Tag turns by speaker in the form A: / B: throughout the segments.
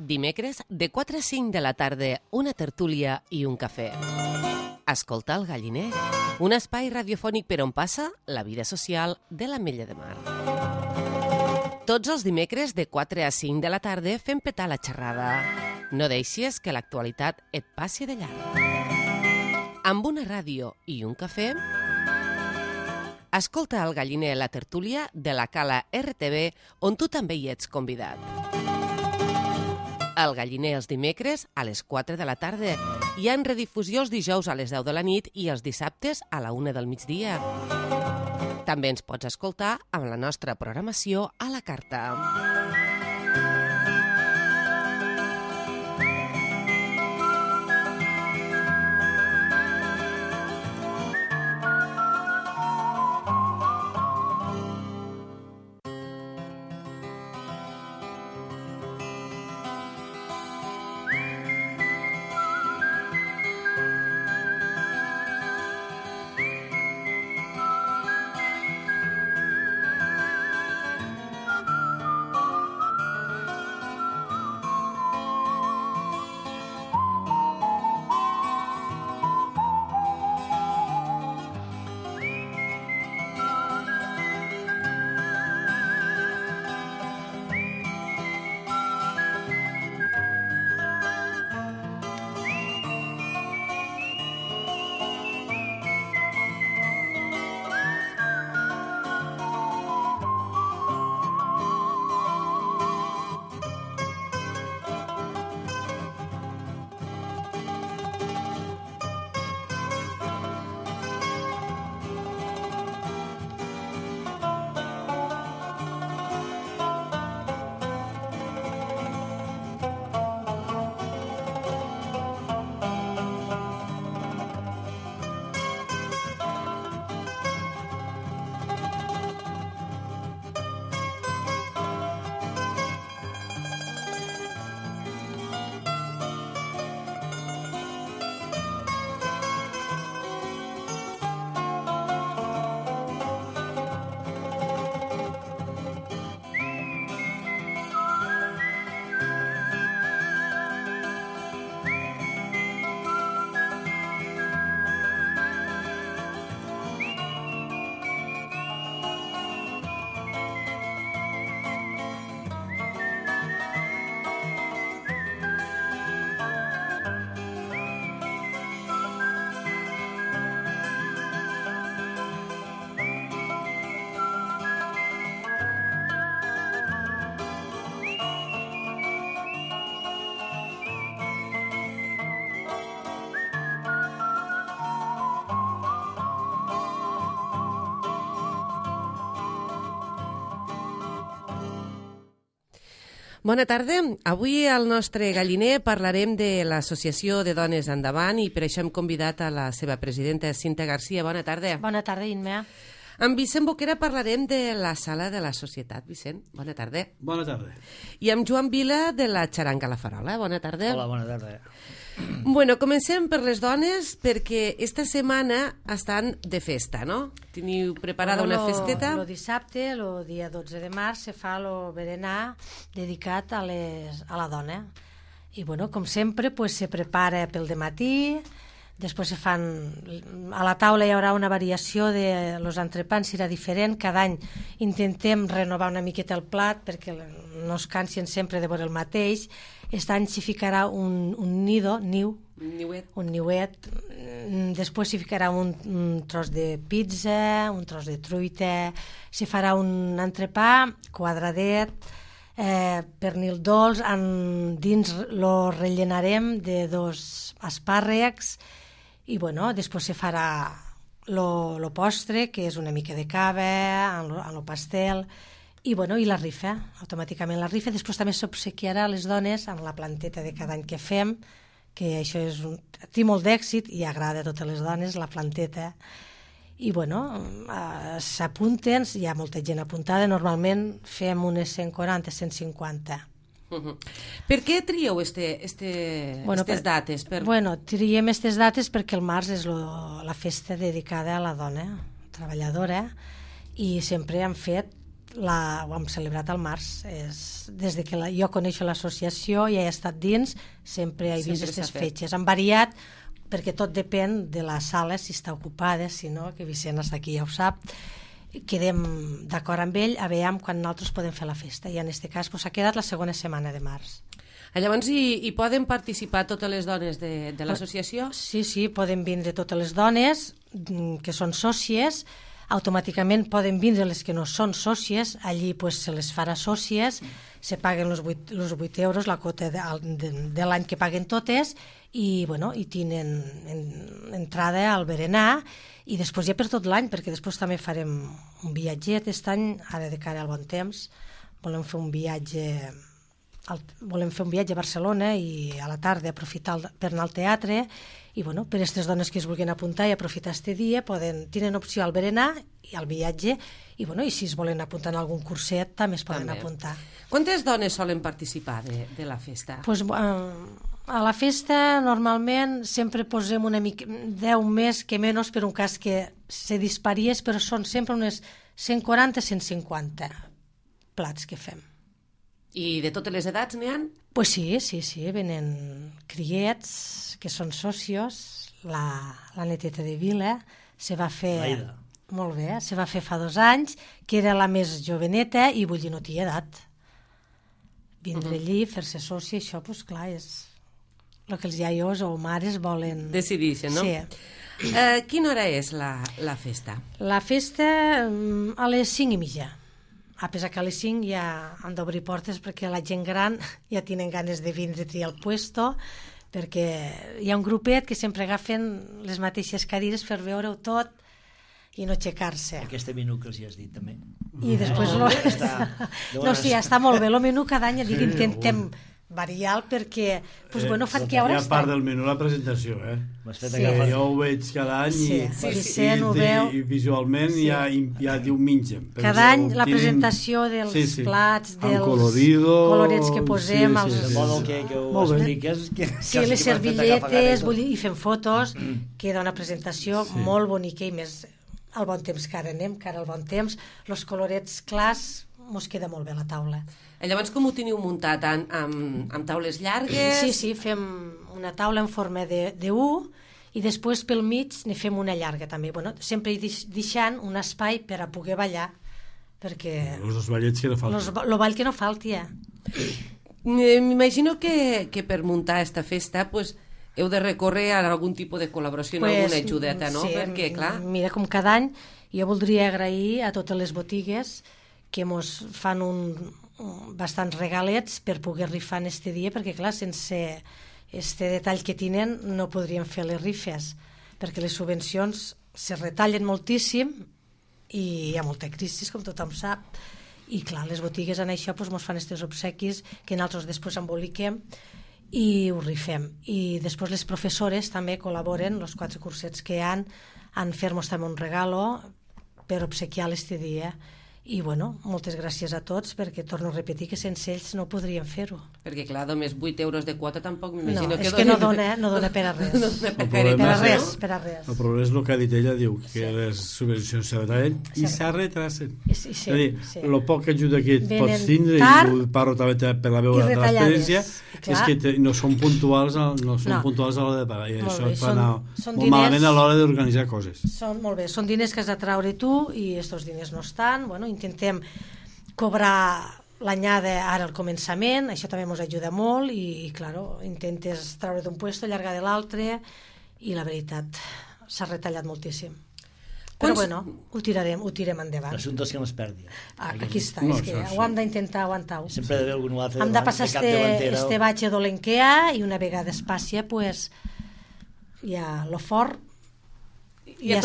A: Dimecres, de 4 a 5 de la tarda, una tertúlia i un cafè. Escolta el Galliner, un espai radiofònic per on passa la vida social de l'Ametlla de Mar. Tots els dimecres, de 4 a 5 de la tarda, fem petar la xerrada. No deixis que l'actualitat et passi de llarg. Amb una ràdio i un cafè, escolta el Galliner, la tertúlia de la Cala RTV, on tu també hi ets convidat. El Galliner els dimecres a les 4 de la tarda. Hi ha en redifusió els dijous a les 10 de la nit i els dissabtes a la 1 del migdia. També ens pots escoltar amb la nostra programació a la carta. Bona tarda. Avui al nostre Galliner parlarem de l'Associació de Dones Endavant i per això hem convidat a la seva presidenta, Cinta Garcia. Bona tarda.
B: Bona tarda, Inma.
A: Amb Vicent Boquera parlarem de la Sala de la Societat. Vicent, bona tarda.
C: Bona tarda.
A: I amb Joan Vila de la Xaranga La Farola. Bona tarda.
D: Hola, bona tarda.
A: Bueno, comencem per les dones perquè esta setmana estan de festa, no? Teniu preparada una festeta?
B: El dissabte, el dia 12 de març, se fa el berenar dedicat a la dona. I, bueno, com sempre, pues, se prepara pel dematí, després se fan... A la taula hi haurà una variació de los entrepans, serà diferent. Cada any intentem renovar una miqueta el plat perquè no es cansen sempre de veure el mateix. Aquest any s'hi ficarà un niuet. Després s'hi ficarà un tros de pizza, un tros de truita. S'hi farà un entrepà quadradet, pernil dolç. Dins lo rellenarem de 2 espàrrecs. I, bueno, després se farà lo postre, que és una mica de cava, en lo pastel, i, bueno, i la rifa, automàticament la rifa. Després també s'obsequiarà a les dones amb la planteta de cada any que fem, que això té molt d'èxit i agrada a totes les dones, la planteta. I, bueno, s'apunten, hi ha molta gent apuntada, normalment fem unes 140, 150.
A: Per què trieu aquestes dates?
B: Triem aquestes dates perquè el març és la festa dedicada a la dona treballadora i sempre han fet ho hem celebrat al març. Des de que jo coneixo l'associació i he estat dins, sempre he vist aquestes fetges. Han variat, perquè tot depèn de la sala, si està ocupada, si no, que Vicent està aquí, ja ho sap. Quedem d'acord amb ell, a veure quan nosaltres podem fer la festa. I en aquest cas s'ha quedat la segona setmana de març.
A: Llavors hi poden participar totes les dones de l'associació?
B: Sí, poden vindre totes les dones que són sòcies, automàticament poden vindre les que no són sòcies, allí se les farà sòcies, se paguen els 8 euros, la quota de l'any que paguen totes, i tenen entrada al berenar, i després ja per tot l'any, perquè després també farem un viatget aquest any, ara de cara al bon temps, volem fer un viatge a Barcelona i a la tarda aprofitar per anar al teatre, i per aquestes dones que es vulguin apuntar i aprofitar aquest dia tenen opció al berenar i al viatge, i si es volen apuntar en algun curset també es poden apuntar.
A: Quantes dones solen participar de la festa?
B: A la festa normalment sempre posem una mica 10 més que menys per un cas que se disparies, però són sempre unes 140-150 plats que fem.
A: I de totes les edats n'hi ha?
B: Pues sí, venen criets que són socios, la neteta de Vila se va fer...
C: Laida.
B: Molt bé, se va fer fa 2 anys, que era la més joveneta i vull dir, no té edat. Vindre allí, fer-se sòcia, això, doncs clar, és el que els iaios o mares volen...
A: Decideixen, no?
B: Sí.
A: Quina hora és la festa?
B: La festa a les 5:30. A pesar que a les 5 ja han d'obrir portes perquè la gent gran ja tenen ganes de vindre a triar el puesto, perquè hi ha un grupet que sempre agafen les mateixes cadires per veure-ho tot i no aixecar-se.
C: Aquest menú que els hi has dit també.
B: I després... Sí, està molt bé. El menú cada any intentem variar perquè fan que hores...
D: Hi ha part del menú la presentació, Jo ho veig cada any i visualment ja diu mengen.
B: Cada any la presentació dels plats, dels colorets que posem,
C: de modo que ho expliques...
B: Sí, les servilletes, i fem fotos, queda una presentació molt bonica i més al bon temps que ara anem, que ara al bon temps, els colorets clars, mos queda molt bé la taula.
A: Llavors, com ho teniu muntat? Amb taules llargues?
B: Sí, fem una taula en forma de U i després pel mig ne fem una llarga també. Sempre deixant un espai per a poder ballar, perquè...
D: Els ballets que no falten.
B: El ball que no falti,
A: M'imagino que per muntar aquesta festa heu de recórrer a algun tipus de col·laboració, alguna ajudeta, no?
B: Sí,
A: perquè, clar...
B: Mira, com cada any, jo voldria agrair a totes les botigues que mos fan bastants regalets per poder rifar en este dia, perquè clar, sense este detall que tenen no podríem fer les rifes, perquè les subvencions se retallen moltíssim i hi ha molta crisi, com tothom sap, i clar, les botigues en això mos fan aquests obsequis que nosaltres després emboliquem i ho rifem. I després les professores també col·laboren, els 4 cursets que hi ha, en fer-nos també un regalo per obsequiar este dia. I moltes gràcies a tots, perquè torno a repetir que sense ells no podríem fer-ho.
A: Perquè clar, només 8 euros de quota tampoc m'imagino
B: que...
A: No,
B: és que no dona per a res.
A: No dona
B: per a res.
D: El problema és el que ha dit ella, diu que les subvencions se retallen i s'arretrasen. És a dir, el poc ajuda que pots tindre, i ho parlo també per la meva transparència, és que no són puntuals a l'hora de pagar, i això fa anar molt malament a l'hora d'organitzar coses.
B: Molt bé, són diners que has de traure tu i aquests diners no estan, intentem cobrar l'anyada ara al començament, això també ens ajuda molt i claro, intentes treure d'un puesto, allargar de l'altre i la veritat s'ha retallat moltíssim. Però ho tirem endavant.
C: L'assumpte és que no es perdi.
B: Aquí està, és que ho hem d'intentar aguantar-ho.
C: Sempre ha d'haver algun altre
B: hem de passar este batge dolent que hi ha i una vegada es passi, ja lo fort ja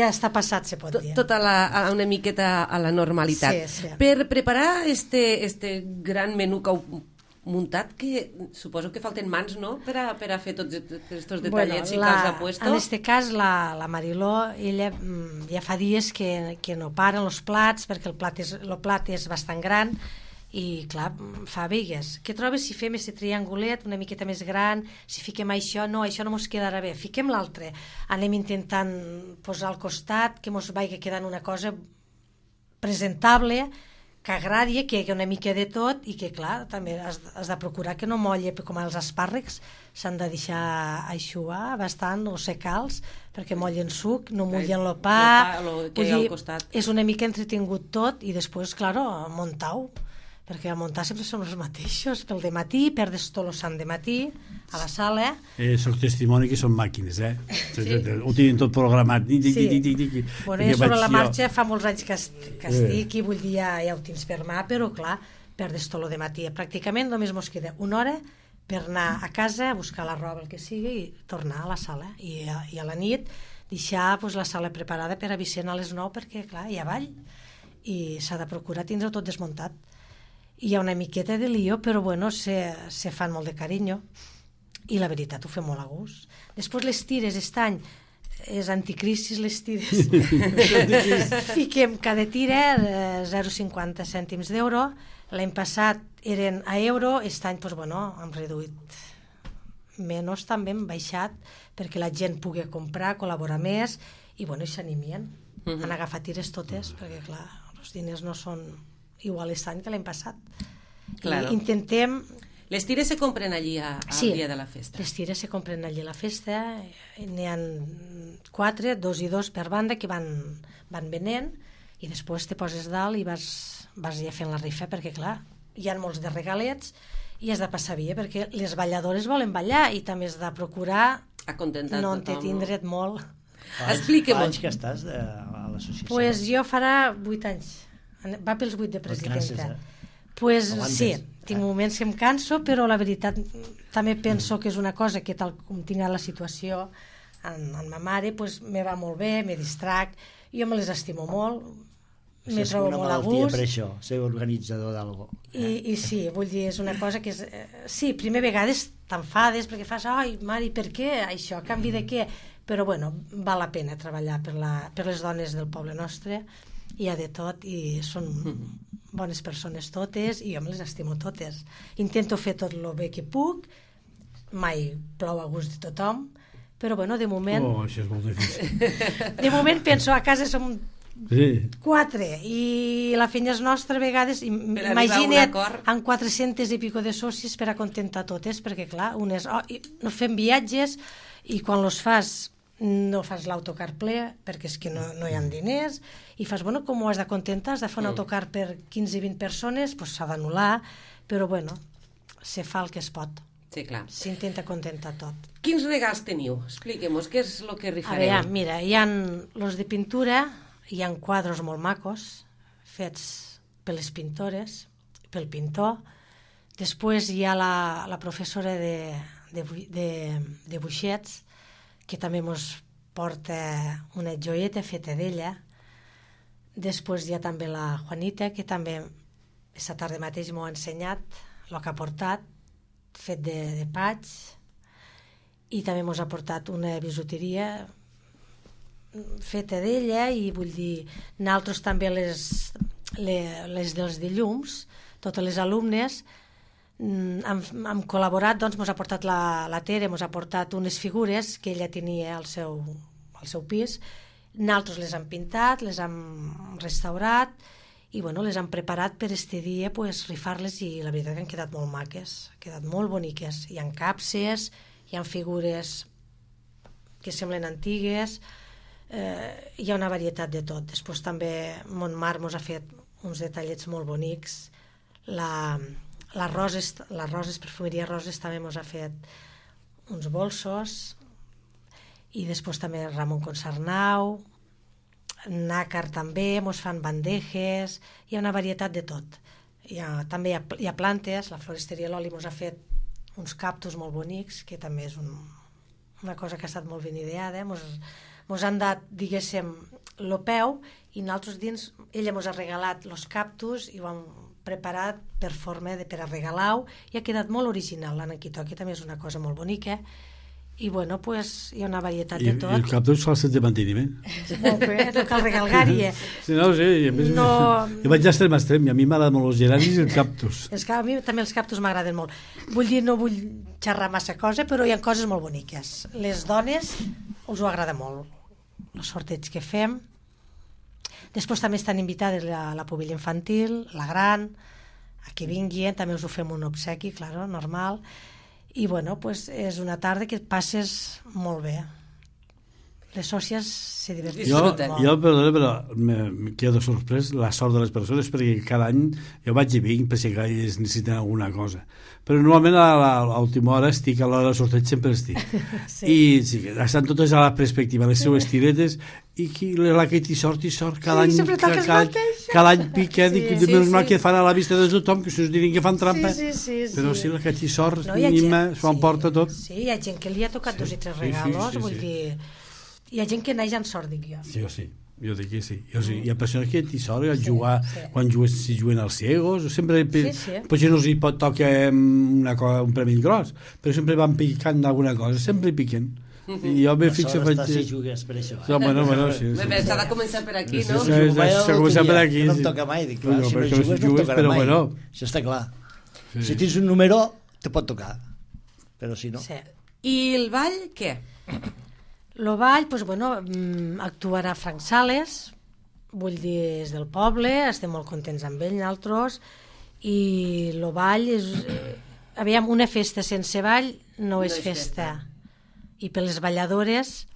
B: està passat, se pot dir.
A: Tot una miqueta a la normalitat.
B: Sí.
A: Per preparar este gran menú que heu muntat, que suposo que falten mans, no?, per a fer tots aquests detallets i que els ha puesto.
B: En aquest cas, la Mariló, ella ja fa dies que no paren els plats, perquè el plat és bastant gran, i clar, fa vegues. Què trobes si fem aquest triangulet una miqueta més gran, si fiquem això no mos quedarà bé, fiquem l'altre, anem intentant posar al costat que mos vagi quedant una cosa presentable, que agradi, que hi hagi una mica de tot i que, clar, també has de procurar que no molle, com els espàrrecs, s'han de deixar eixugar bastant o secals perquè mollen suc, no mullen el pa, és una mica entretingut tot i després, clar, muntar-ho, perquè a muntar sempre són els mateixos, pel dematí, perdes tot el sant dematí a la sala.
D: Soc testimoni que són màquines, ho tenen tot programat.
B: Bueno, jo sobre la marxa fa molts anys que estic i vull dir, ja ho tens per mà, però clar, perdes tot el dematí. Pràcticament només mos queda una hora per anar a casa, buscar la roba, el que sigui, i tornar a la sala. I a la nit deixar la sala preparada per a Vicent a les 9, perquè clar, hi ha ball i s'ha de procurar tindre-ho tot desmuntat. Hi ha una miqueta de lío, però bueno, se fan molt de carinyo i la veritat ho fem molt a gust. Després les tires, aquest any és anticrisis les tires. Fiquem cada tira 0,50 cèntims d'euro. L'any passat eren a euro, aquest any hem reduït menys, també hem baixat perquè la gent pugui comprar, col·laborar més i s'animien. Han agafat tires totes perquè clar, els diners no són igual aquest any que l'any passat.
A: Claro.
B: Intentem...
A: Les tires se compren allí al dia de la festa?
B: Les tires se compren allí a la festa. N'hi ha 4, 2 i 2 per banda que van venent i després te poses dalt i vas ja fent la rifa perquè clar, hi ha molts de regalets i has de passar bé perquè les balladores volen ballar i també has de procurar no entretindre't molt.
C: Explica-m'ho. Fa anys que estàs a l'associació?
B: Pues jo farà 8 anys. Va pels 8 de presidenta. Pues sí, tinc moments que em canso, però la veritat també penso que és una cosa que tal com tinc la situació amb ma mare, me va molt bé, me distrac, jo me les estimo molt, me trobo molt a gust. És una malaltia per això, ser organitzador d'algo. I sí, vull dir, és una cosa que és... Sí, primer vegades t'enfades perquè fas, ai, mare, per què això, a canvi de què? Però bueno, val la pena treballar per les dones del poble nostre, hi ha de tot i són bones persones totes i jo me les estimo totes. Intento fer tot el bé que puc, mai plou a gust de tothom, però bueno, de moment...
D: Oh, això és molt difícil.
B: De moment penso, a casa som 4 i la feina és nostra a vegades, imagina't amb 400 i pico de socis per a contentar totes, perquè clar, unes no fem viatges i quan los fas no fas l'autocar ple perquè és que no hi ha diners i fas, bueno, com ho has de contentar, has de fer un autocar per 15 i 20 persones, doncs s'ha d'anul·lar, però bueno, se fa el que es pot.
A: Sí, clar.
B: S'intenta contentar tot.
A: Quins regals teniu? Expliquem-nos, què és el que rifareu?
B: A veure, mira, hi ha els de pintura, hi ha quadres molt macos, fets per les pintores, pel pintor. Després hi ha la professora de buixets, que també ens porta una joieta feta d'ella. Després hi ha també la Juanita, que també aquesta tarda mateix m'ho ha ensenyat, el que ha portat, fet de paig, i també ens ha portat una bisuteria feta d'ella, i vull dir, nosaltres també les dels dilluns, totes les alumnes, hem col·laborat, doncs ens ha portat la Tere, ens ha portat unes figures que ella tenia al seu pis, nosaltres les hem pintat, les hem restaurat i bueno, les hem preparat per este dia, rifar-les, i la veritat que han quedat molt maques, han quedat molt boniques. Hi ha capses, hi ha figures que semblen antigues, hi ha una varietat de tot. Després també Montmar ens ha fet uns detallets molt bonics, les Roses, Perfumeria Roses, també ens ha fet uns bolsos, i després també Ramon Consarnau, Nàcar també, ens fan bandejes, hi ha una varietat de tot. També hi ha plantes, la floristeria Loli ens ha fet uns cactus molt bonics, que també és una cosa que ha estat molt ben ideada. Ens han dat, diguéssim, el peu, i nosaltres dins, ella ens ha regalat els cactus i ho hem preparat per forma per a regalar-ho, i ha quedat molt original. L'anaquitoqui també és una cosa molt bonica, i bueno, hi ha una varietat de tot.
D: I el cactus fa el set de manteniment.
B: Molt bé, no cal regalgar-hi.
D: Sí, jo vaig d'extrem a extrem, i a mi m'agraden molt els geranis i el cactus.
B: A mi també els cactus m'agraden molt. Vull dir, no vull xerrar massa cosa, però hi ha coses molt boniques. Les dones us ho agrada molt. Els sorteig que fem, Després també estan invitades la pubilla infantil, la gran, a que vinguin, també us ho fem un obsequi, claro, normal, i bueno, pues és una tarda que passes molt bé. Les sòcies se diverteixen molt.
D: Jo, però me quedo sorprès la sort de les persones, perquè cada any jo vaig i vinc per si ells necessiten alguna cosa, però normalment a l'última hora estic, a l'hora del sorteig sempre estic. Sí. I sí, estan totes a la perspectiva, les seues tiretes, i la que t'hi sort, cada any piquen, i menys mal que fan a la vista de tothom, que us diuen que fan trampa, però sí, la que t'hi sort mínima s'ho emporta tot.
B: Sí, hi ha gent que li ha tocat 2 i 3 regalos, vull dir, hi ha gent que naix en sort, dic jo.
D: Sí, jo dic que sí. Hi ha persones que t'hi sort a jugar, quan si juguen als ciegos, sempre, potser no els pot tocar un premi gros, però sempre van picant d'alguna cosa, sempre piquen. I jo me fixo...
C: Si jugues per això.
D: Bueno, sí.
A: S'ha de començar per aquí, no?
D: S'ha de començar per aquí.
C: No em toca mai, dic, clar, si no jugues no em tocarà mai. Això està clar. Si tens un número, te pot tocar, però si no...
A: I el ball, què?
B: El ball, doncs, bueno, actuarà Frank Sales, vull dir, és del poble, estem molt contents amb ell, nosaltres, i el ball és... Aviam, una festa sense ball no és festa. I per les balladores,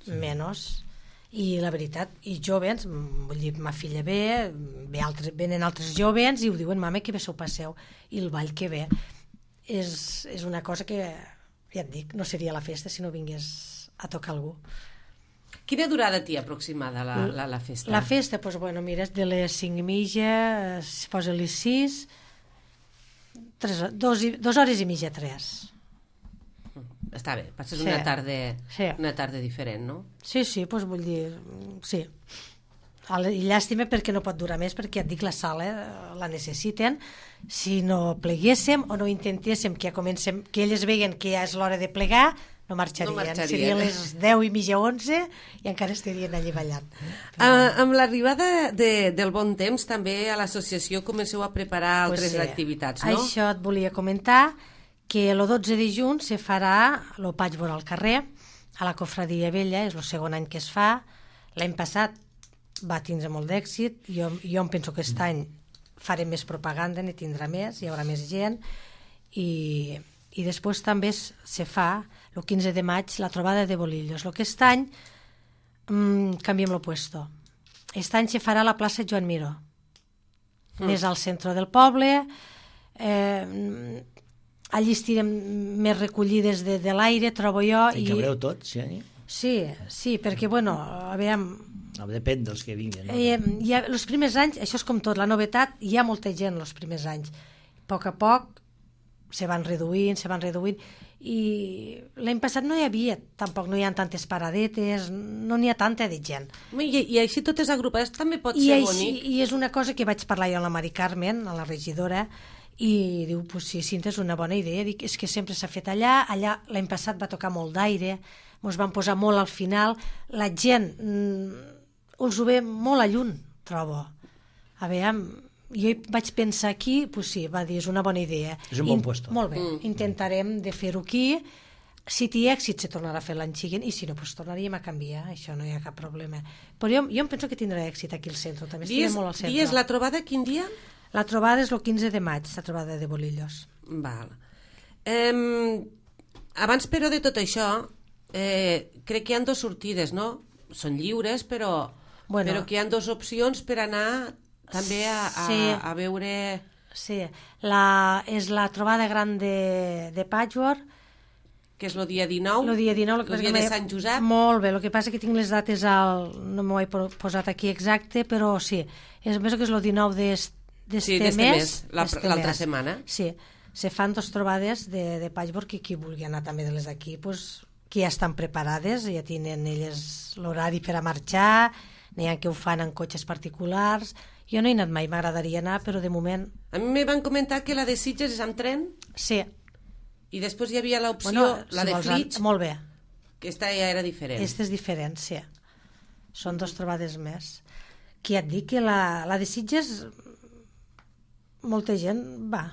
B: menys. I la veritat, i jovens, vull dir, ma filla venen altres jovens i ho diuen, mama, que bé s'ho passeu. I el ball que bé. És una cosa que, ja et dic, no seria la festa si no vingués a tocar algú.
A: Quina durada té aproximada la festa?
B: La festa, doncs, bueno, mira, de les 5:30, es posa a les 6, 2 hores i mitja, 3.
A: Està bé, passes una tarda diferent, no?
B: Sí, doncs vull dir, sí. I llàstima perquè no pot durar més, perquè et dic, la sala la necessiten. Si no pleguéssim o no intentéssim que ja comencem, que elles veien que ja és l'hora de plegar, no marxarien. Serien les 10:30, 11 i encara estarien allí ballant.
A: Amb l'arribada del bon temps també a l'associació comenceu a preparar altres activitats, no?
B: Això et volia comentar, que el 12 de juny se farà el Patchwork al carrer, a la Cofradia Vella, és el segon any que es fa. L'any passat va tindre molt d'èxit, jo em penso que aquest any farem més propaganda, n'hi tindrà més, hi haurà més gent, i després també se fa el 15 de maig la trobada de bolillos. Aquest any canviem el puesto. Aquest any se farà a la plaça Joan Miró, més al centre del poble. Allí estirem més recollides de l'aire, trobo jo.
C: I cabreu tots, sí?
B: Sí, perquè, bueno, aviam...
C: Depèn dels que vinguin.
B: Els primers anys, això és com tot, la novetat, hi ha molta gent els primers anys. A poc se van reduint, i l'any passat no hi havia, tampoc no hi ha tantes paradetes, no n'hi ha tanta de gent.
A: I així totes agrupades també pot ser bonic.
B: I és una cosa que vaig parlar jo amb la Mari Carmen, a la regidora, i diu, pues sí, Cinta, és una bona idea. Dic, és que sempre s'ha fet allà l'any passat va tocar molt d'aire, ens van posar molt al final, la gent us ho ve molt a lluny, trobo. A veure, jo vaig pensar aquí, pues sí, va dir, és una bona idea.
C: És un bon puesto.
B: Molt bé, intentarem de fer-ho aquí. Si té èxit se tornarà a fer l'any següent, i si no, pues tornaríem a canviar, això no hi ha cap problema. Però jo em penso que tindrà èxit aquí al centre, també estarem molt al centre.
A: Dies la trobada, quin dia?
B: La trobada és el 15 de maig, la trobada de bolillos.
A: Val. Abans, però, de tot això, crec que hi ha 2 sortides, no? Són lliures, però que hi ha 2 opcions per anar també a veure...
B: Sí, és la trobada gran de Patchwork,
A: que és el dia 19,
B: el dia
A: de Sant Josep.
B: Molt bé, el que passa que tinc les dates no m'ho he posat aquí exacte, però sí, penso que és el 19 d'este mes,
A: l'altra setmana.
B: Sí, se fan 2 trobades de Patchwork, i qui vulgui anar també de les d'aquí, que ja estan preparades, ja tenen elles l'horari per a marxar, n'hi ha que ho fan en cotxes particulars. Jo no he anat mai, m'agradaria anar, però de moment...
A: A mi me van comentar que la de Sitges és amb tren.
B: Sí.
A: I després hi havia l'opció, la de Flix.
B: Molt bé.
A: Que esta ja era diferent.
B: Esta és diferent, sí. Són 2 trobades més. Que ja et dic que la de Sitges molta gent va.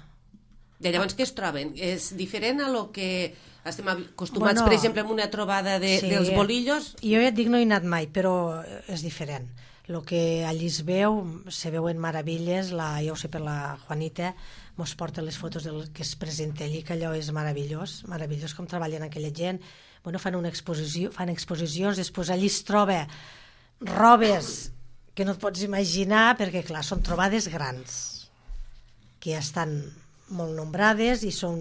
A: I llavors què es troben? És diferent a lo que estem acostumats, per exemple, en una trobada dels bolillos?
B: Jo ja et dic, no he anat mai, però és diferent. el que allí es veu, se veuen meravilles, ja ho sé per la Juanita, mos porta les fotos del que es presenta allí, que allò és meravellós, meravellós com treballen aquella gent. Bueno, fan exposicions, després allí es troba robes que no et pots imaginar, perquè clar, són trobades grans, que ja estan molt nombrades i són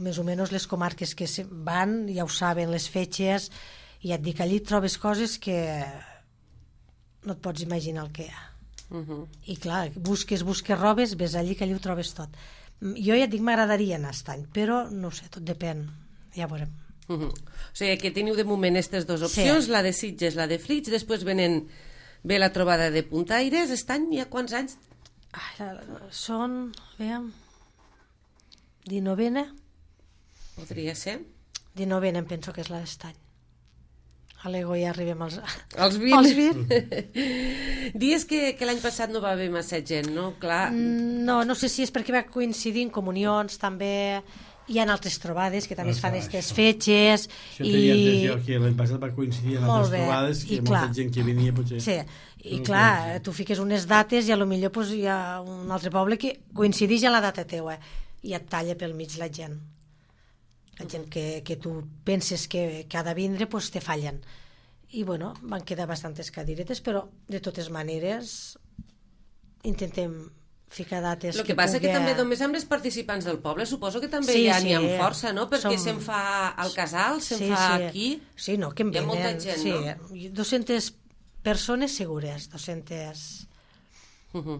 B: més o menys les comarques que van, ja ho saben, les fetges, i et dic, allí trobes coses que no et pots imaginar el que hi ha. I clar, busques robes, ves allí que allí ho trobes tot. Jo ja et dic, m'agradaria anar aquest any, però no ho sé, tot depèn, ja veurem.
A: O sigui que teniu de moment aquestes dues opcions, la de Sitges, la de Flix, després ve la trobada de Puntaires. Aquest any hi ha quants anys?
B: Són, veiem, 19a.
A: Podria ser?
B: 19a em penso que és la d'est any. A l'ego ja arribem als
A: 20. Dies que l'any passat no va haver massa gent, no? Clar.
B: No sé si és perquè va coincidir en comunions, també hi ha altres trobades que també es fan aquestes fetges.
D: L'any passat va coincidir en altres trobades que hi ha molta gent que venia potser.
B: Sí, i clar, tu fiques unes dates i potser hi ha un altre poble que coincideix en la data teua i et talla pel mig la gent. La gent que tu penses que ha de vindre, doncs te fallen. I bueno, van quedar bastantes cadiretes, però de totes maneres intentem ficar dates que
A: pugui... El que passa que també només amb els participants del poble suposo que també hi ha força, no? Perquè se'n fa al casal, se'n fa aquí...
B: Sí, no, que en venen.
A: Hi ha molta gent, no?
B: 200 persones segures, 200...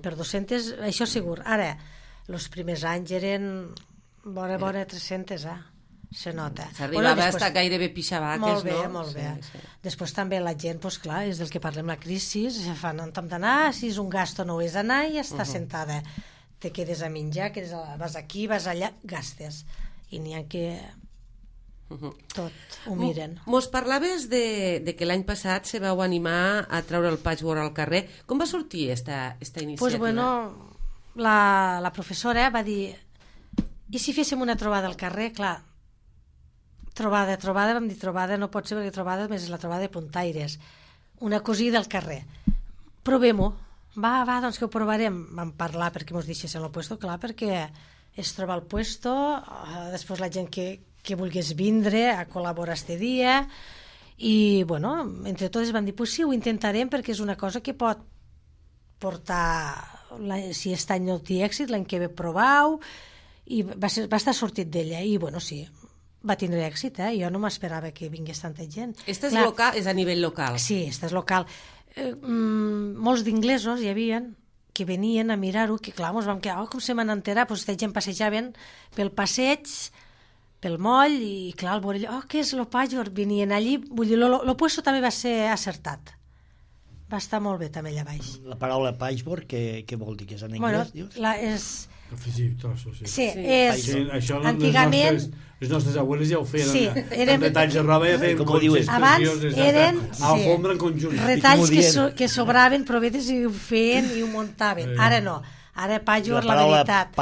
B: Per 200, això segur. Ara, els primers anys eren vora 300, se nota.
A: S'arribava a estar gairebé pixabaques, no?
B: Molt bé. Després també la gent, doncs clar, és del que parlem, la crisi, fan un tom d'anar, si és un gasto no és anar i està sentada. Te quedes a menjar, vas aquí, vas allà, gastes. I n'hi ha que tot ho miren.
A: Mos parlaves de que l'any passat se vau animar a treure el patchwork al carrer. Com va sortir esta iniciativa?
B: Doncs bueno, la professora va dir, i si féssim una trobada al carrer? Clar, trobada, vam dir trobada, no pot ser perquè trobada més és la trobada de Puntaires, una cosida del carrer. Provem-ho, va, doncs que ho provarem. Vam parlar perquè mos deixessin el puesto, clar, perquè es troba el puesto, després la gent que volgués vindre a col·laborar este dia, i bueno, entre totes van dir, pues sí, ho intentarem perquè és una cosa que pot portar, si aquest any no té èxit, l'any que ve provau, i va estar sortit d'ella, i bueno, sí, va tindre èxit, jo no m'esperava que vingués tanta gent.
A: Esta és local, és a nivell local?
B: Sí, esta és local. Molts d'inglesos hi havia que venien a mirar-ho, que clar, ens vam quedar, com se m'han enterat, doncs aquesta gent passejaven pel passeig, pel moll, i clar, al veure allò, què és el patchwork? Venien allí, vull dir, el puesto també va ser acertat. Va estar molt bé també allà baix.
C: La paraula patchwork, què vol dir? Que és en anglès, dius?
B: És...
D: Afegir trossos, sí.
B: Sí, és...
D: Això
B: antigament...
D: Les nostres abueles ja ho feien.
B: Sí,
D: eren retalls de roba, ja feien conxes
B: abans eren
D: alfombra en conjunt.
B: Retalls que sobraven, provetes, i ho feien i ho muntaven. Ara no. Ara patchwork, la veritat,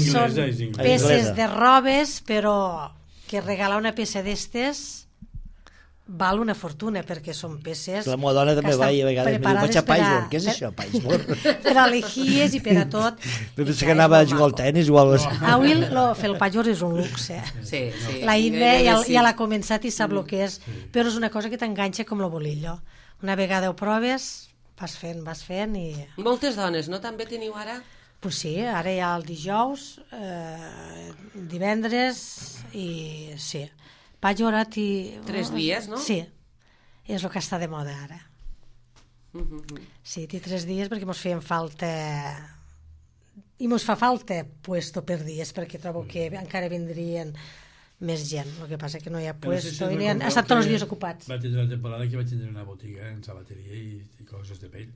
B: són peces de robes, però que regalar una peça d'estes val una fortuna, perquè són peces...
C: La meva dona també va i a vegades em diu, vaig a patchwork, què és això, patchwork?
B: Per a legies i per a tot.
C: Pensa que anava a jugar al tenis o alguna cosa.
B: Avui fer el patchwork és un luxe. La Inde ja l'ha començat i sap el que és, però és una cosa que t'enganxa com el bolillo. Una vegada ho proves, vas fent i...
A: Moltes dones, no? També teniu ara?
B: Pues sí, ara hi ha el dijous, divendres i sí. Patchwork i...
A: 3 dies, no?
B: Sí, és el que està de moda ara. Sí, té 3 dies perquè ens feien falta... I ens fa falta puesto per dies, perquè trobo que encara vindrien més gent. El que passa que no hi ha puesto, han estat tots els dies ocupats.
D: Va tindre una temporada que vaig tindre una botiga en sabateria i coses de pell.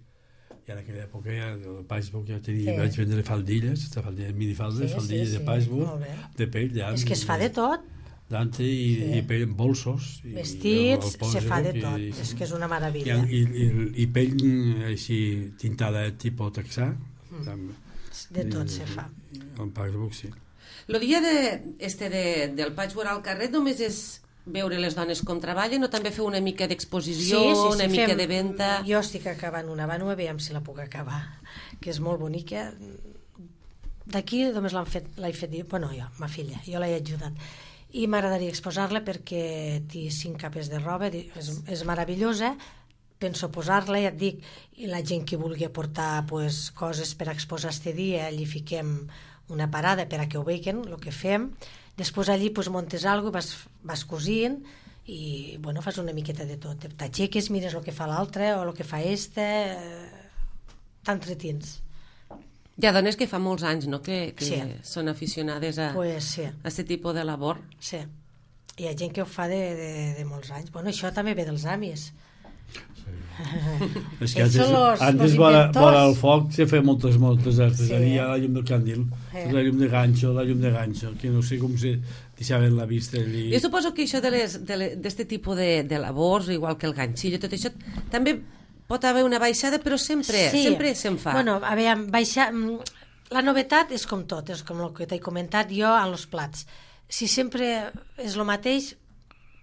D: I en aquella època, el patchwork ja tenia, vaig vendre faldilles, minifaldes, faldilles de patchwork, de pell.
B: És que es fa de tot.
D: Dante i pell en bolsos.
B: Vestits, se fa de tot. És que és una meravella.
D: I pell així tintada tipus texà.
B: De tot se fa.
D: El patchwork, sí.
A: El dia del patchwork al carrer només és veure les dones com treballen o també feu una mica d'exposició, una mica de venda?
B: Jo estic acabant una vànua, veiem si la puc acabar, que és molt bonica. D'aquí només l'he fet bueno, jo, ma filla, jo l'he ajudat. I m'agradaria exposar-la perquè té 5 capes de roba, és meravellosa, penso posar-la, ja et dic, i la gent que vulgui aportar coses per exposar este dia, allí fiquem una parada per a que ho vegin, el que fem. Després allí muntes alguna cosa, vas cosint i fas una miqueta de tot. T'aixeques, mires el que fa l'altre o el que fa t'entretins.
A: Hi ha dones que fa molts anys, no?, que són aficionades a aquest tipus de labor.
B: Sí, hi ha gent que ho fa de molts anys. Això també ve dels amis.
D: És que antes vora el foc se feia moltes artesania, la llum del candil, la llum de ganxo, que no sé com se deixaven la vista allí.
A: Jo suposo que això d'aquest tipus de labors, igual que el ganxillo, tot això, també pot haver una baixada, però sempre se'n fa.
B: Bueno, a veure, la novetat és com tot, és com el que t'he comentat jo en els plats. Si sempre és el mateix,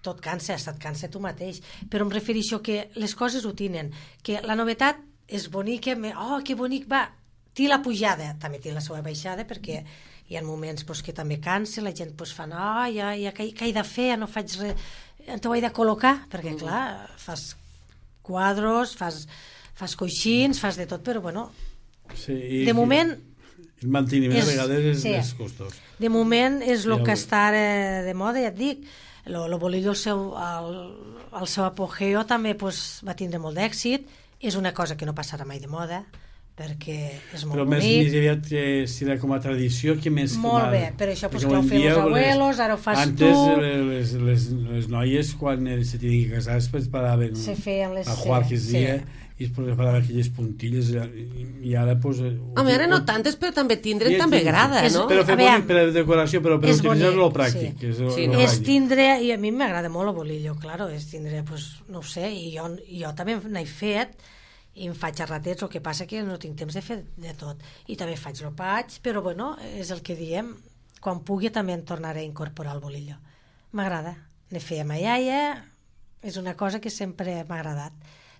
B: tot cansa, et cansa tu mateix, però em refereixo que les coses ho tenen, que la novetat és bonica, que bonic va, té la pujada, també té la seva baixada, perquè hi ha moments que també cansa, la gent fa, què he de fer, no faig res, t'ho he de col·locar, perquè clar, fas quadros, fas coixins, fas de tot, però bueno, de moment...
D: El manteniment a vegades és costós.
B: De moment és el que està de moda, ja et dic. El bolillo al seu apogeo també va tindre molt d'èxit. És una cosa que no passarà mai de moda, perquè és molt bonic.
D: Però més aviat que si era com a tradició, que més...
B: Molt bé, per això que ho feien els abuelos, ara ho fas tu...
D: Antes les noies, quan se tenien que casar, es preparaven a jugar que es dia... i es preparaven aquelles puntilles i ara
B: home,
A: ara no tantes, però també tindren també agrada, no?
D: Però fer bonic per decoració, però per utilitzar-lo pràctic.
B: És tindre, i a mi m'agrada molt el bolillo, claro, és tindre, no ho sé, i jo també n'he fet i em faig a ratets, el que passa que no tinc temps de fer de tot, i també faig el paig, però bueno, és el que diem, quan pugui també em tornaré a incorporar el bolillo. M'agrada, ne feia ma iaia, és una cosa que sempre m'ha agradat.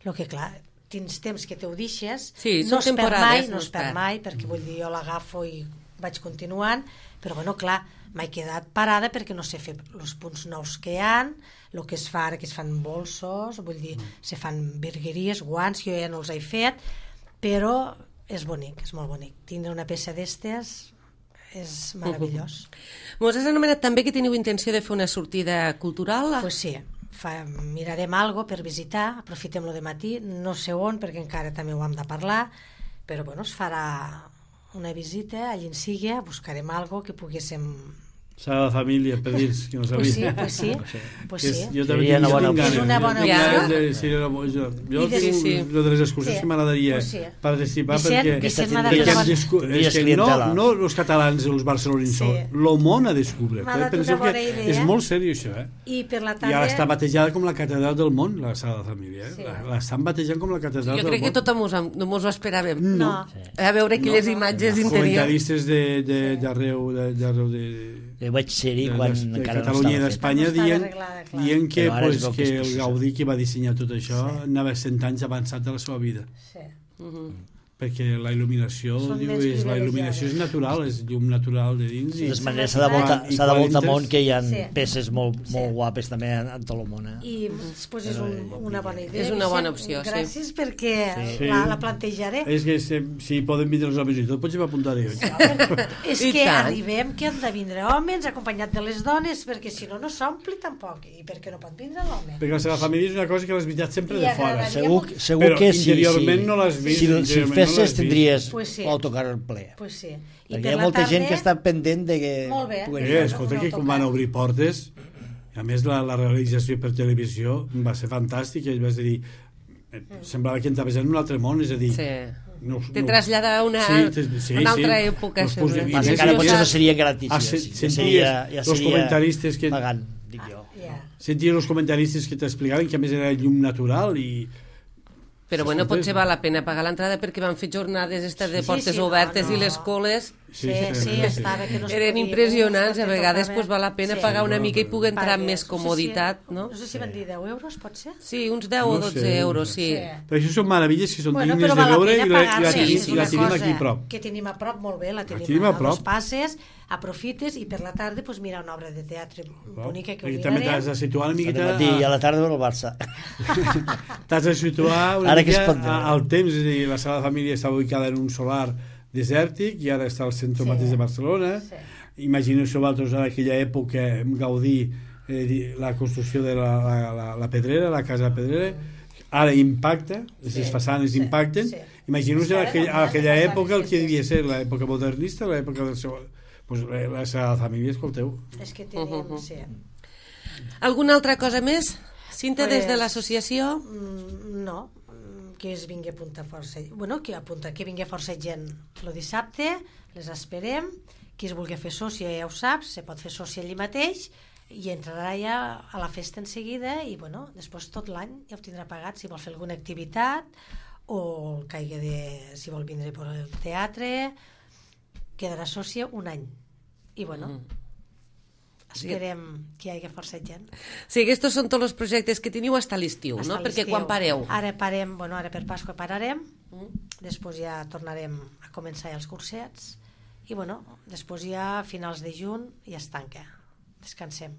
B: El que clar, tens temps que te ho deixes, no es perd mai, perquè vull dir, jo l'agafo i vaig continuant, però bueno, clar, m'he quedat parada perquè no sé fer els punts nous que hi ha, el que es fa ara, que es fan bolsos, vull dir, se fan virgueries, guants, jo ja no els he fet, però és bonic, és molt bonic. Tindre una peça d'estes és meravellós.
A: Mos has anomenat també que teniu intenció de fer una sortida cultural?
B: Pues sí. Mirarem algo per visitar, aprofitem-lo de matí, no sé on, perquè encara també ho hem de parlar, però bueno, es farà una visita, allí en sigui, buscarem algo que poguéssim...
D: Sagrada Família, per dins, que no sabia.
B: Pues sí.
C: Jo també tinc ganes.
B: És una bona opció.
D: Jo tinc de les excursions que m'agradaria participar, perquè no els catalans, els barcelonins, el món a descobrir. Penso que és molt seriós això.
B: I
D: ara està batejada com la catedral del món, la Sagrada Família. L'estan batejant com la catedral del món.
A: Jo crec que tothom no mos ho esperàvem. A veure aquelles imatges interiors.
D: Comentaristes d'arreu de...
C: Jo vaig ser-hi quan encara no
D: Catalunya i d'Espanya dient que el Gaudí que va dissenyar tot això anava 100 anys avançat de la seva vida. Perquè la il·luminació és natural, és llum natural de dins.
C: De totes maneres s'ha de voltar món, que hi ha peces molt guapes també en tot el món.
B: I després és una bona idea.
A: És una bona opció, sí.
B: Gràcies perquè la plantejaré.
D: És que si poden vindre els homes i tot, potser m'apuntaré.
B: És que arribem que han de vindre homes acompanyat de les dones, perquè si no, no s'ompli tampoc. I perquè no pot vindre l'home.
D: Perquè la família és una cosa que l'has visitat sempre de fora.
C: Segur que sí.
D: Interiorment no l'has vist.
C: festes tindries l'autocar ple.
B: Pues sí.
C: Perquè hi ha molta gent que està pendent de que...
B: Molt bé.
D: Escolta, que com van obrir portes, a més la realització per televisió va ser fantàstica, i vas dir, semblava que entraves en un altre món, és a dir...
A: Te trasllada a una altra època.
C: Encara potser no seria gratis,
D: ja seria
C: pagant, dic jo.
D: Sentia els comentaristes que t'explicaven que a més era llum natural i...
A: Però bueno, potser val la pena pagar l'entrada perquè van fer jornades de portes obertes i les coles
B: Sí, estava que no es podia.
A: Eren impressionants, a vegades val la pena pagar una mica i poder entrar amb més comoditat, no?
B: No sé si van dir 10 euros, pot ser?
A: Sí, uns 10 o 12 euros, sí.
D: Però això són meravelles que són dignes de veure i la tenim aquí a prop.
B: Que tenim a prop, molt bé, la tenim a dos passes, aprofites i per la tarda mira una obra de teatre bonica que ho mirarem.
D: També t'has de situar una miqueta...
C: Al matí i a la tarda veure el Barça.
D: T'has de situar una mica al temps, és a dir, la Sagrada Família està ubicada en un solar desèrtic i ara està al centre mateix de Barcelona. Imagineu-vos vosaltres en aquella època gaudir la construcció de la Pedrera, la casa Pedrera, ara impacta, les façanes impacten. Imagineu-vos en aquella època el que devia ser l'època modernista, l'època del seu... la Sagrada Família, escolteu.
B: És que tenim, sí.
A: Alguna altra cosa més? Cinta, des de l'associació?
B: No, que es vingui a apuntar força, que vingui força gent el dissabte, les esperem, qui es vulgui fer sòcia ja ho saps, se pot fer sòcia allí mateix i entrarà ja a la festa en seguida i després tot l'any ja ho tindrà pagat si vol fer alguna activitat o el caigui si vol vindre per el teatre, quedarà sòcia un any i esperem que hi hagi força gent.
A: Sí, aquests són tots els projectes que teniu fins a l'estiu, no? Perquè quan pareu?
B: Ara parem, ara per Pasqua pararem, després ja tornarem a començar els cursets i després ja a finals de juny ja es tanca, descansem.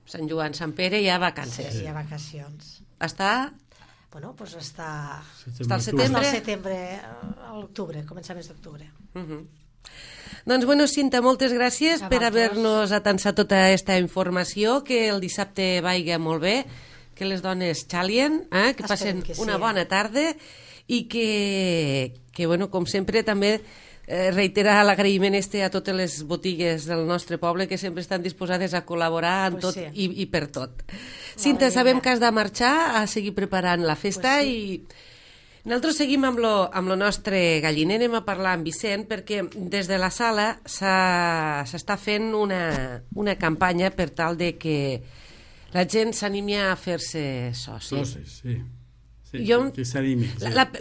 A: Sant Joan, Sant Pere, ja vacances.
B: Sí, ja vacacions.
A: Està?
B: Està
A: al setembre?
B: Al setembre, a l'octubre, començaments d'octubre.
A: Doncs Cinta, moltes gràcies per haver-nos atansat tota aquesta informació, que el dissabte vagi molt bé, que les dones xalien, que passen una bona tarda i que com sempre també reiterar l'agraïment a totes les botigues del nostre poble que sempre estan disposades a col·laborar en tot i per tot. Cinta, sabem que has de marxar a seguir preparant la festa i nosaltres seguim amb lo nostre galliner. Anem a parlar amb Vicent perquè des de la sala s'està fent una campanya per tal de que la gent s'animi a fer-se soci.
D: Socis, sí. Que s'animi.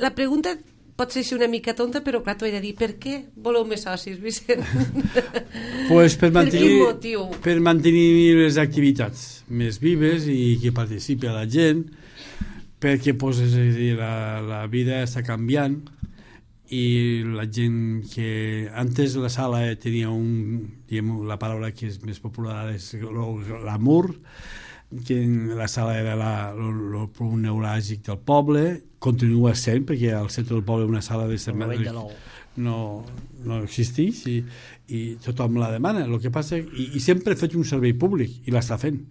A: La pregunta pot ser una mica tonta, però clar, t'ho he de dir, per què voleu més socis, Vicent?
D: Per mantenir les activitats més vives i que participi la gent, perquè la vida està canviant i la gent que antes la sala tenia la paraula que és més popular és l'amor, que la sala era el punt neuràlgic del poble, continua sent perquè al centre del poble una sala no existeix i tothom la demana. El que passa i sempre ha fet un servei públic i l'està fent.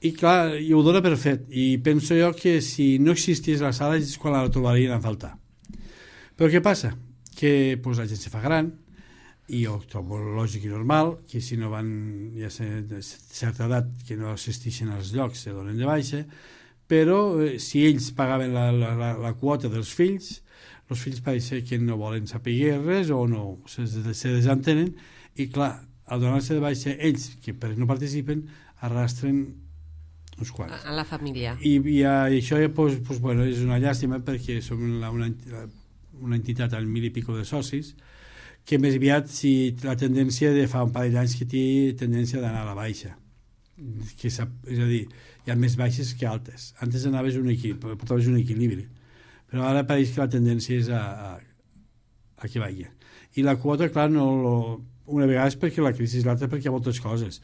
D: I clar, i ho dona per fet i penso jo que si no existís la sala és quan la trobarien a faltar. Però què passa? Que la gent se fa gran i jo trobo lògic i normal que si no van ja de certa edat que no assisteixen als llocs se donen de baixa, però si ells pagaven la quota dels fills, els fills pareix que no volen saber res o no se desentenen i clar, al donar-se de baixa ells que no participen arrastren uns quants.
A: A la família.
D: I això és una llàstima perquè som una entitat amb 1.000 i pico de socis que més aviat la tendència de fa un parell d'anys que té tendència d'anar a la baixa. És a dir, hi ha més baixes que altes. Antes portaves un equilibri. Però ara pareix que la tendència és a que vagi. I la quota, clar, una vegada és perquè la crisi és l'altra perquè hi ha moltes coses.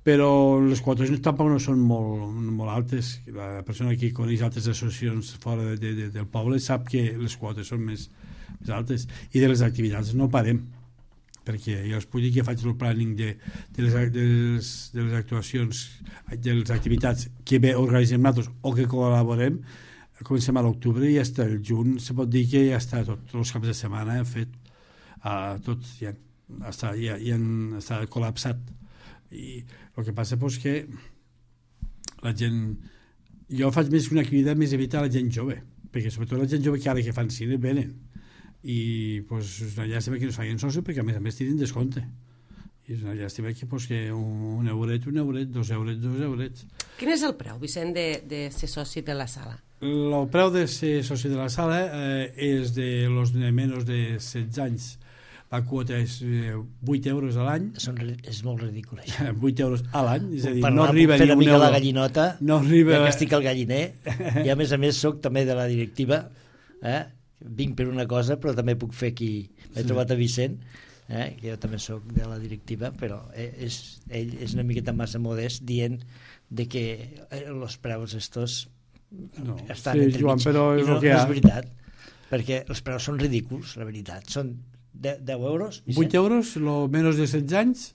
D: Però les quotes tampoc no són molt altes. La persona que coneix altres associacions fora del poble sap que les quotes són més altes i de les activitats no parem perquè jo us puc dir que faig el planning de les actuacions de les activitats que bé organitzem nosaltres o que col·laborem. Comencem a l'octubre i fins al juny se pot dir que ja està tots els caps de setmana fet tot ja està col·lapsat i el que passa és que la gent jo faig més que una activitat més evitar la gent jove perquè sobretot la gent jove que ara que fan cine venen i és una llàstima que no es facin soci perquè a més tenen descompte i és una llàstima que un euret, 2 eurets.
A: Quin és el preu, Vicent, de ser soci de la sala?
D: El preu de ser soci de la sala és de los de menys de 16 anys la quota és 8 euros a l'any.
C: És molt ridícul, això.
D: 8 euros a l'any, és a dir,
C: no arriba ni un euro. La gallinota,
D: no arriba...
C: ja que estic al galliner, i a més soc també de la directiva, vinc per una cosa, però també puc fer aquí. M'he trobat a Vicent, que jo també soc de la directiva, però ell és una miqueta massa modest dient de que els preus estos estan entre mig.
D: Però és
C: no és veritat, perquè els preus són ridículs, la veritat. Són 10 euros.
D: 8 euros, menys de 16 anys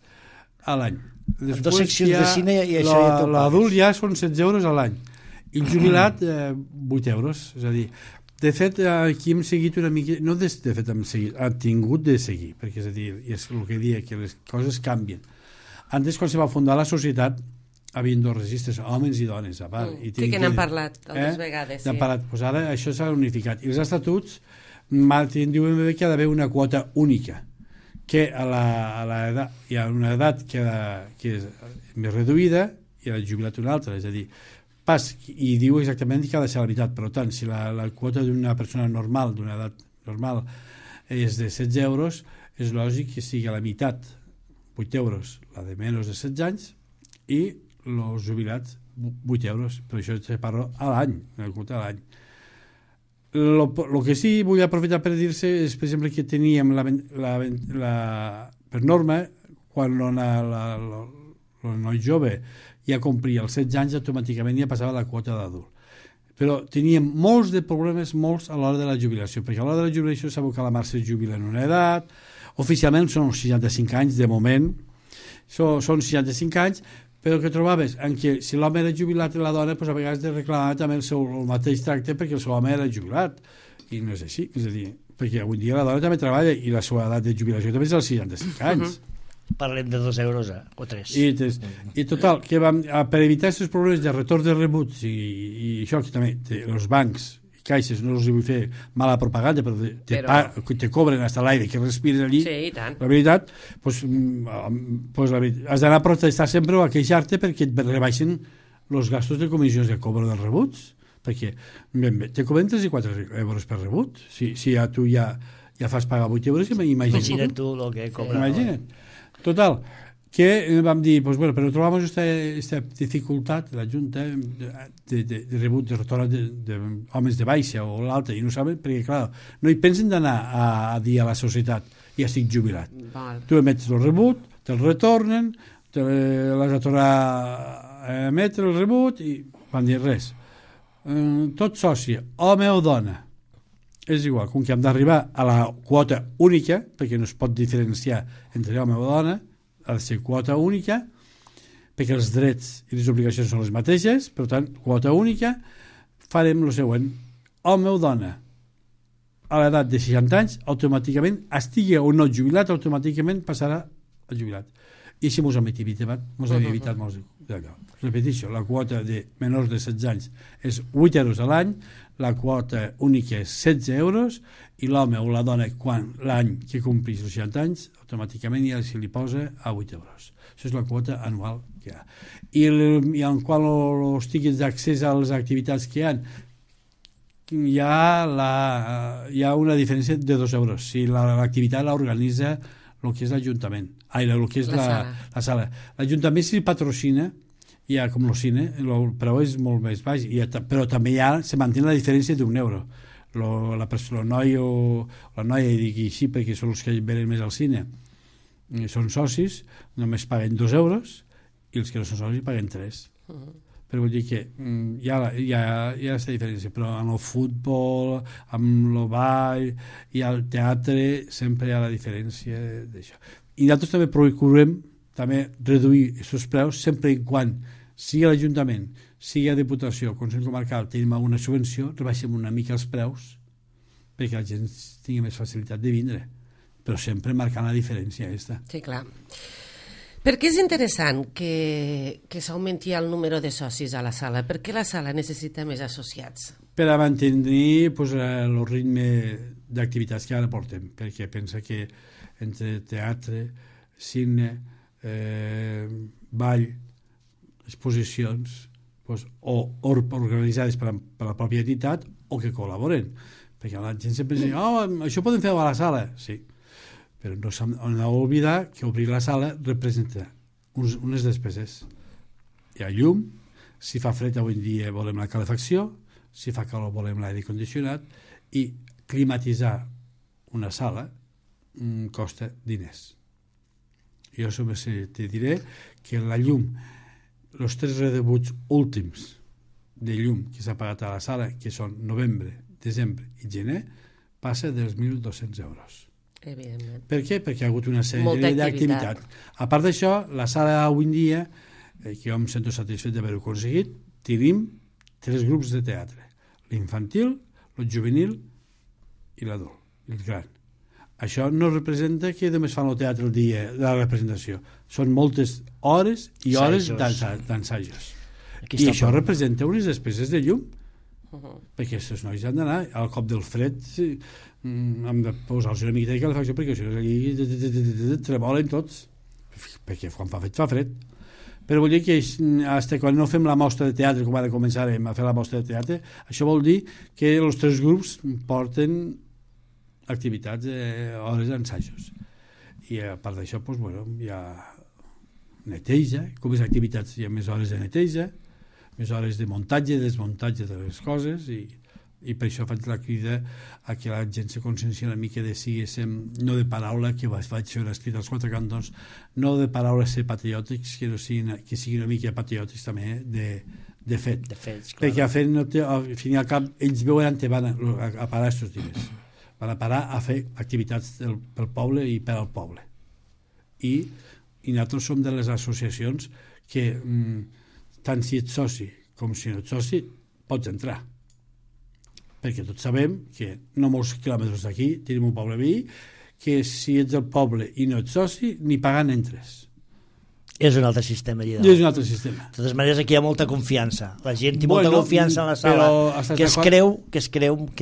D: a l'any.
C: Amb 2 seccions de cine i això ja t'ho pagues.
D: L'adult ja són 16 euros a l'any. I el jubilat, 8 euros. És a dir, de fet, aquí hem seguit una mica... No de fet hem seguit, hem tingut de seguir, perquè és a dir, és el que dia, que les coses canvien. Antes, quan se va fundar la societat, hi havia 2 registres, homes i dones, a part.
A: Sí que n'hem parlat altres vegades.
D: N'hem parlat. Pues ara això s'ha unificat. I els estatuts diuen que hi ha d'haver una quota única, que a l'edat, hi ha una edat que és més reduïda i el jubilat una altra, és a dir, i diu exactament que ha de ser la veritat. Per tant, si la quota d'una persona normal, d'una edat normal, és de 16 euros, és lògic que sigui a la meitat, 8 euros, la de menys de 16 anys, i els jubilats 8 euros. Per això se parla a l'any, una quota a l'any. El que sí vull aprofitar per dir-se és, per exemple, que teníem per norma, quan el noi jove ja complia els 16 anys, automàticament ja passava la quota d'adult. Però teníem molts de problemes, molts a l'hora de la jubilació, perquè a l'hora de la jubilació sabeu que la Mar se jubila en una edat, oficialment són 65 anys de moment, són 65 anys, però que trobaves en què si l'home era jubilat i la dona, doncs a vegades de reclamar també el mateix tracte perquè el seu home era jubilat, i no és així, és a dir, perquè avui dia la dona també treballa i la seva edat de jubilació també és als 65 anys.
C: Parlem de 2 euros o 3.
D: I total, que per evitar aquests problemes de retorn de rebuts i això que també els bancs i caixes, no els vull fer mala propaganda, però te cobren fins a l'aire que respires allí, la veritat, has d'anar a protestar sempre o a queixar-te perquè et rebaixen els gastos de comissions de cobro dels rebuts, perquè te cobren 3 i 4 euros per rebut. Si tu ja fas pagar 8 euros,
C: imagina't tu el que cobra.
D: Imagina't. Total, que vam dir, però trobamos esta dificultat, la Junta, de rebut, de retorn d'homes de baixa o l'altra, i no saben, perquè, clar, no hi pensen d'anar a dir a la societat, ja estic jubilat. Tu emets el rebut, te'l retornen, l'has de tornar a emetre el rebut, i van dir res. Tot soci, home o dona, és igual, com que hem d'arribar a la quota única, perquè no es pot diferenciar entre home o dona, ha de ser quota única, perquè els drets i les obligacions són les mateixes, per tant, quota única, farem el següent. Home o dona, a l'edat de 60 anys, automàticament, estigui o no jubilat, automàticament passarà a jubilat. I si mos hem evitat molts d'allò. Repeteixo, la quota de menors de 16 anys és 8 euros a l'any, la quota única és 16 euros i l'home o la dona, quan l'any que complís els 60 anys, automàticament ja se li posa a 8 euros. Això és la quota anual que hi ha. I en qual els tiquets d'accés a les activitats que hi ha una diferència de 2 euros. Si l'activitat l'organitza el que és l'Ajuntament, el que és la sala. L'Ajuntament si patrocina, ja com el cine, el preu és molt més baix, però també se manté la diferència d'1 euro. El noi o la noia, i dic així perquè són els que venen més al cine, són socis, només paguen 2 euros i els que no són socis paguen 3. Però vull dir que hi ha aquesta diferència, però en el futbol, amb el ball i el teatre sempre hi ha la diferència d'això. I nosaltres també procurem també reduir aquests preus sempre i quan sigui a l'Ajuntament, sigui a Diputació o Consell Comarcal, tenim alguna subvenció, rebaixem una mica els preus perquè la gent tingui més facilitat de vindre, però sempre marcant la diferència aquesta.
A: Sí, clar. Per què és interessant que s'augmenti el número de socis a la sala? Per què la sala necessita més associats?
D: Per a mantenir el ritme d'activitats que ara portem, perquè pensa que entre teatre, cine, ball, exposicions, o organitzades per la pròpia entitat o que col·laboren, perquè la gent sempre diu, això ho podem fer a la sala, sí, però no s'han d'oblidar que obrir la sala representa unes despeses. Hi ha llum, si fa fred avui en dia volem la calefacció, si fa calor volem l'aire condicionat, i climatitzar una sala costa diners. Jo te diré que la llum, els 3 redebuts últims de llum que s'ha pagat a la sala, que són novembre, desembre i gener, passa dels 1.200 euros.
A: Evidentment.
D: Per què? Perquè hi ha hagut una sèrie d'activitat. A part d'això, la sala avui en dia, que jo em sento satisfet d'haver-ho aconseguit, tenim 3 grups de teatre. L'infantil, el juvenil i l'adult, el gran. Això no representa que només fan el teatre el dia de la representació. Són moltes hores i hores d'ensajos. I això representa unes despeses de llum. Perquè aquests nois han d'anar al cop del fred, hem de posar-los una miqueta de calefacció perquè això allí tremolen tots, perquè quan fa fred. Però vol dir que quan no fem la mostra de teatre, com ara començarem a fer la mostra de teatre, això vol dir que els 3 grups porten activitats, hores d'ensajos. I a part d'això, hi ha neteja, com més activitats hi ha més hores de neteja, més hores de muntatge, desmuntatge de les coses, i per això faig la crida a que la gent se consciencia una mica de no de paraula, que vaig fer escrit als 4 cantons, no de paraula ser patriòtics, que siguin una mica patriòtics també de fet. Perquè a fet, al fin i al cap, ells veuen que van a parar aquests diners. Van a parar a fer activitats pel poble i per al poble. I nosaltres som de les associacions que tant si ets soci com si no ets soci pots entrar, perquè tots sabem que no molts quilòmetres d'aquí tenim un poble veí que si ets del poble i no ets soci ni pagant entres.
C: És un altre sistema allà
D: dalt. És un altre sistema.
C: De totes maneres, aquí hi ha molta confiança. La gent té molta confiança en la sala, que es creu, que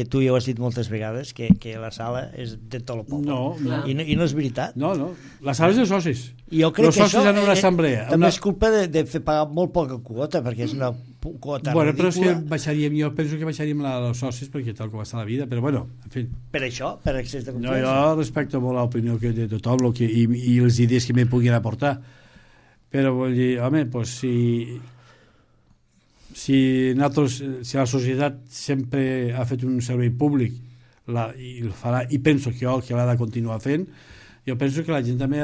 C: tu ja ho has dit moltes vegades, que la sala és de tot el poble.
D: No.
C: I no és veritat.
D: No. La sala és de socis.
C: I jo crec
D: els socis en una assemblea.
C: També és culpa de fer pagar molt poca quota, perquè és una quota ridícula.
D: Però és que jo penso que baixaríem els socis, perquè tal com està la vida, però bueno, en fi.
C: Per això, per excés de confiança.
D: Jo respecto molt l'opinió de tothom i les idees que me puguin aportar. Però vull dir, home, si la societat sempre ha fet un servei públic i el farà, i penso que l'ha de continuar fent, jo penso que la gent també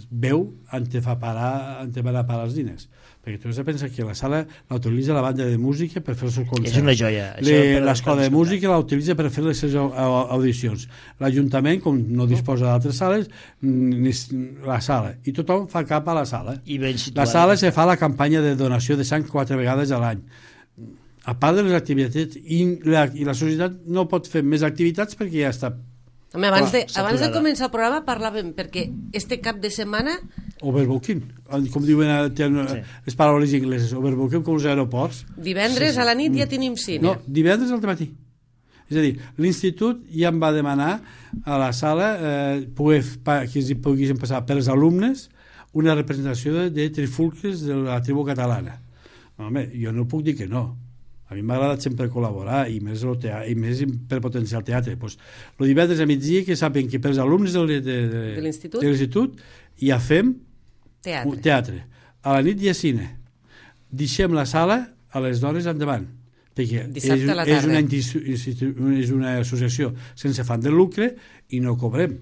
D: veu on van a parar els diners. Perquè tu has de pensar que la sala l'utilitza la banda de música per fer els seus concerts.
C: És una joia.
D: L'escola de música l'utilitza per fer les seves audicions. L'Ajuntament, com no disposa d'altres sales, la sala. I tothom fa cap a la sala. La sala se fa la campanya de donació de sang 4 vegades a l'any. A part de les activitats, i la societat no pot fer més activitats perquè ja està.
A: Home, abans de començar el programa parlàvem, perquè este cap de setmana...
D: Overbooking, com diuen les paraules ingleses, overbooking com els aeroports.
A: Divendres a la nit ja tenim cine.
D: No, divendres al matí. És a dir, l'institut ja em va demanar a la sala que es poguessin passar per els alumnes una representació de trifulques de la tribu catalana. Home, jo no puc dir que no. A mi m'ha agradat sempre col·laborar i més per potenciar el teatre. El divendres a migdia que saben que per als alumnes de l'institut ja fem teatre. A la nit hi ha cine. Deixem la sala a les dones endavant, perquè és una associació sense afany de lucre i no cobrem.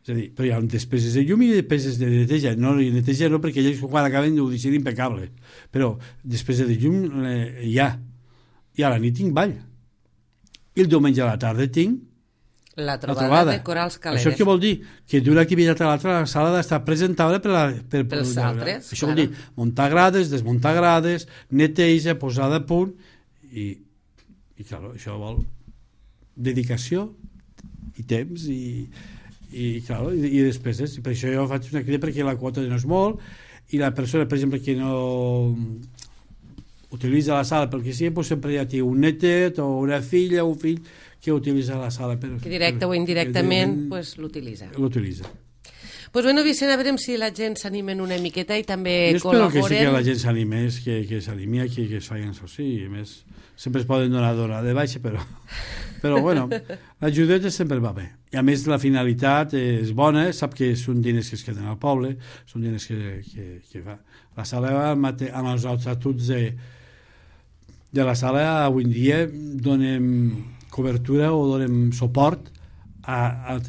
D: És a dir, però hi ha despeses de llum i despeses de neteja. Neteja no, perquè ells quan acaben ho deixen impecable. Però despeses de llum hi ha. I a la nit tinc ball. I el diumenge a la tarda tinc
A: la trobada de corals caleres.
D: Això què vol dir? Que d'una activitat a l'altra la sala ha d'estar presentable
A: pels altres.
D: Això vol dir muntar grades, desmuntar grades, neteja, posada a punt i clar, això vol dedicació i temps i despeses. I per això jo faig una crida perquè la quota no és molt i la persona, per exemple, que no utilitza la sala pel que sigui, doncs sempre ja té un netet o una filla o un fill que utilitza la sala.
A: Que directe o indirectament l'utilitza. Pues bueno, Vicent, a veure si la gent s'animen una miqueta i també
D: jo espero
A: col·laboren.
D: Que sí que la gent s'animés, que s'animi aquí, que es facin soci, i a més sempre es poden donar de baixa, però bueno, l'ajudeta sempre va bé. I a més la finalitat és bona, sap que són diners que es queden al poble, són diners que fa. La sala, amb els estatuts de la sala, avui en dia donem cobertura o donem suport a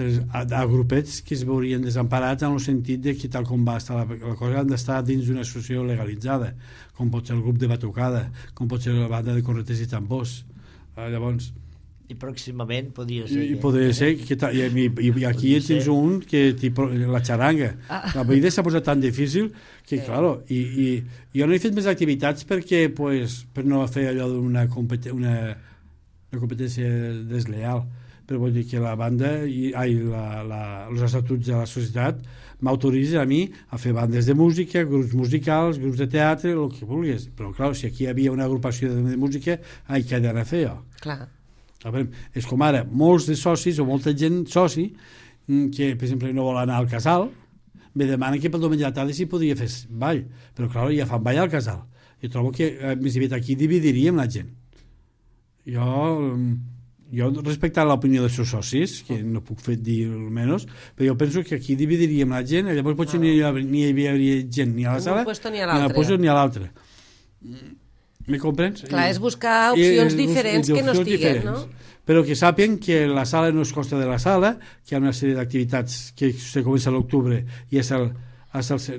D: grupets que es veurien desemparats en el sentit de que tal com va estar la cosa han d'estar dins d'una associació legalitzada, com pot ser el grup de batucada, com pot ser la banda de correters i tambors. Llavors,
C: i pròximament podria ser
D: i podria ser i aquí tens un que la xaranga la vida s'ha posat tan difícil que claro, i jo no he fet més activitats perquè per no fer allò d'una competència desleal, però vull dir que la banda els estatuts de la societat m'autoritzen a mi a fer bandes de música, grups musicals, grups de teatre, el que vulguis, però clar, si aquí hi havia una agrupació de música, què he d'anar a fer jo?
A: Clar.
D: És com ara, molts de socis o molta gent soci que per exemple no vol anar al casal me demanen que pel diumenge a la tarda s'hi podria fer ball, però clar, ja fan ball al casal. Jo trobo que més aviat aquí dividiríem la gent. Jo respectant l'opinió dels seus socis, que no puc fer dir almenys, però jo penso que aquí dividiríem la gent, i llavors potser ni hi havia gent ni a la sala, ni a la puesto ni a l'altra. Me comprens?
A: Clar, és buscar opcions diferents que no estiguen, no?
D: Però que sàpien que la sala no es consta de la sala, que hi ha una sèrie d'activitats que se comença a l'octubre i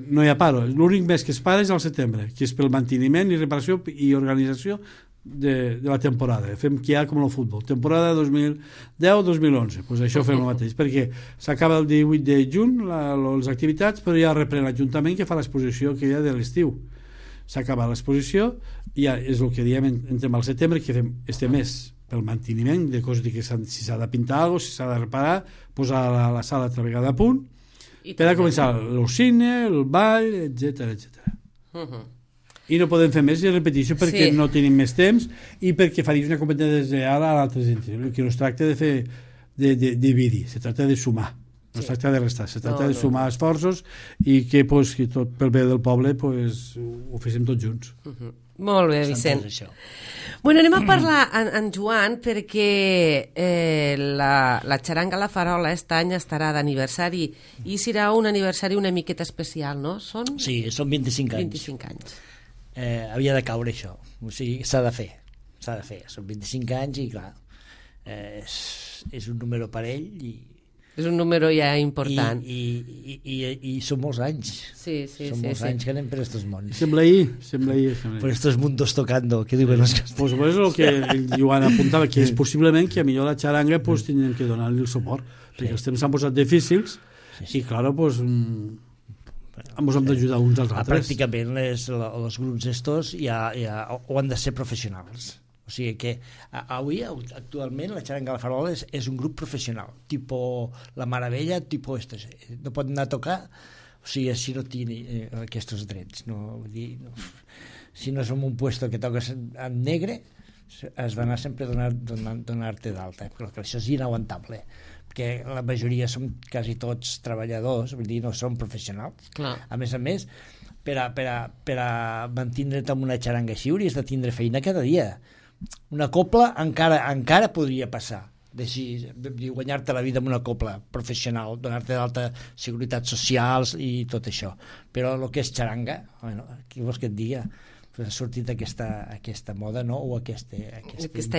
D: no hi ha paro. L'únic mes que es para és al setembre, que és pel manteniment i reparació i organització de la temporada. Fem que hi ha com el futbol. Temporada 2010-2011. Pues això fem el mateix, perquè s'acaba el 18 de juny les activitats, però ja reprèn l'Ajuntament que fa l'exposició que hi ha de l'estiu. S'acaba l'exposició i ja és el que diem entrem al setembre, que fem este mes pel manteniment de coses que si s'ha de pintar alguna cosa, si s'ha de reparar, posar la sala altra vegada a punt, per a començar el cine, el ball, etc. I no podem fer més de repetició perquè no tenim més temps i perquè faries una competència desleal a l'altre sentit. El que no es tracta de fer de dividir, se tracta de sumar. No es tracta de restar, se tracta de sumar esforços i que tot pel bé del poble ho féssim tots junts.
A: Molt bé, Vicent. Bueno, anem a parlar en Joan perquè la xaranga La Farola aquest any estarà d'aniversari i serà un aniversari una miqueta especial, no?
C: Sí, són 25 anys.
A: 25 anys.
C: Havia de caure això, o sigui, s'ha de fer, són 25 anys i clar, és un número per ell i
A: és un número ja important.
C: I són molts anys. Són molts anys que anem per estos mons.
D: Sembla ahir.
C: Per estos mundos tocando, que diuen els castells.
D: Pues és el que el Joan apuntava, que és possiblement que a millor la xaranga tindrem que donar-li el suport, perquè els temps s'han posat difícils i, clar, ens hem d'ajudar uns als altres.
C: Pràcticament els grups estos ja han de ser professionals. O sigui que avui, actualment, la xaranga La Farola és un grup professional, tipus La Maravella, tipus estos. No pot anar a tocar, o sigui, si no tingui aquests drets. Si no és en un puesto que toques en negre, has d'anar sempre a donar-te d'alta, perquè això és inaguantable, perquè la majoria som quasi tots treballadors, vull dir, no som professionals.
A: Clar.
C: A més, per a mantindre't amb una xaranga així hauries de tindre feina cada dia. Una copla encara podria passar de guanyar-te la vida amb una copla professional, donar-te d'alta seguretat socials i tot això, però el que és xaranga, qui vols que et diga, ha sortit aquesta moda, no? O aquesta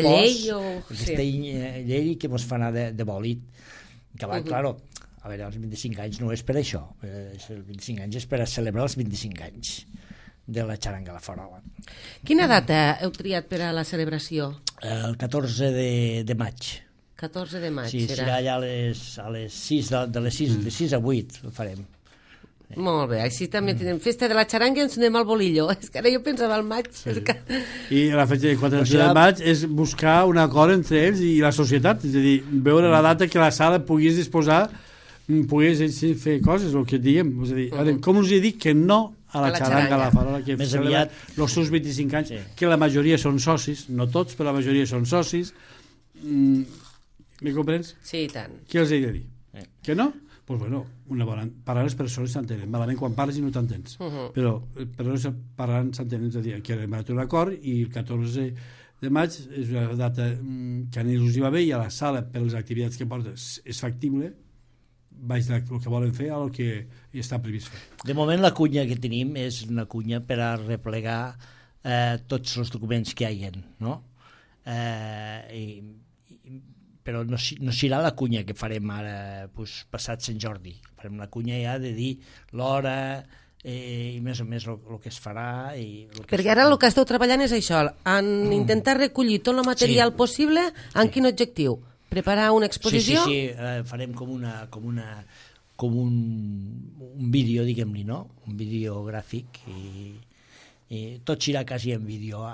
A: llei
C: aquesta llei que ens fa anar de bòlit, que va, claro, a veure, els 25 anys no és per això, els 25 anys és per a celebrar els 25 anys de la xaranga La Farola.
A: Quina data heu triat per a la celebració?
C: El 14 de maig.
A: 14 de maig,
C: serà allà a les 6, de 6 a 8 ho farem.
A: Molt bé, així també tenim festa de la xaranga i ens anem al bolillo. És que ara jo pensava al maig.
D: I la festa del 14 de maig és buscar un acord entre ells i la societat, és a dir, veure la data que la sala pogués disposar, pogués fer coses, el que diem. És a dir, com us he dit que no a la xaranga La Farola, que
C: més aviat
D: els seus 25 anys, que la majoria són socis, no tots, però la majoria són socis. Me comprens?
A: Sí, i tant.
D: Què els he de dir? Que no? pues bueno, parlar les persones s'entenen, malament quan parles i no t'entens, però parlant s'entenen, és a dir, que hem arribat a un acord i el 14 de maig és una data que a ningú hi va bé i a la sala, per les activitats que porta, és factible, baix el que volen fer a el que està previst fer.
C: De moment la cunya que tenim és una cunya per a replegar tots els documents que hi ha, no? Però no serà la cunya que farem ara passat Sant Jordi. Farem la cunya ja de dir l'hora i més o més el que es farà.
A: Perquè ara el que esteu treballant és això, en intentar recollir tot el material possible, en quin objectiu? Preparar una exposició?
C: Sí, farem com un vídeo, diguem-li, no? Un vídeo gràfic i tot serà quasi en vídeo, o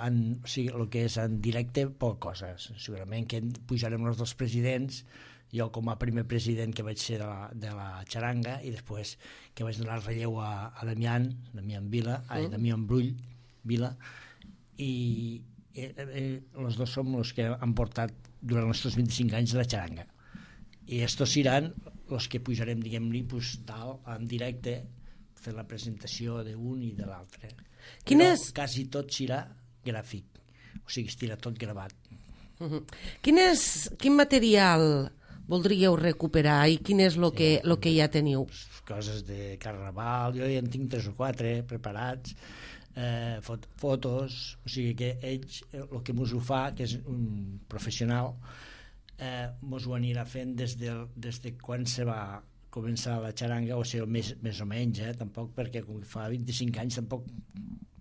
C: sigui, el que és en directe, poc coses. Segurament que pujarem els dos presidents, jo com a primer president que vaig ser de la xaranga i després que vaig donar el relleu a Damián Brull Vila, i els dos som els que han portat durant els 25 anys de la xaranga. I estos seran els que pujarem, diguem-li, dalt, en directe, fer la presentació d'un i de l'altre. Quasi tot serà gràfic, o sigui, estirà tot gravat.
A: Quin material voldríeu recuperar i quin és el que ja teniu?
C: Coses de carnaval, jo ja en tinc 3 o 4 preparats, fotos, o sigui que ells, el que mos ho fa, que és un professional, mos ho anirà fent des de quan se va començar la xaranga, o sigui, més o menys, tampoc, perquè com que fa 25 anys tampoc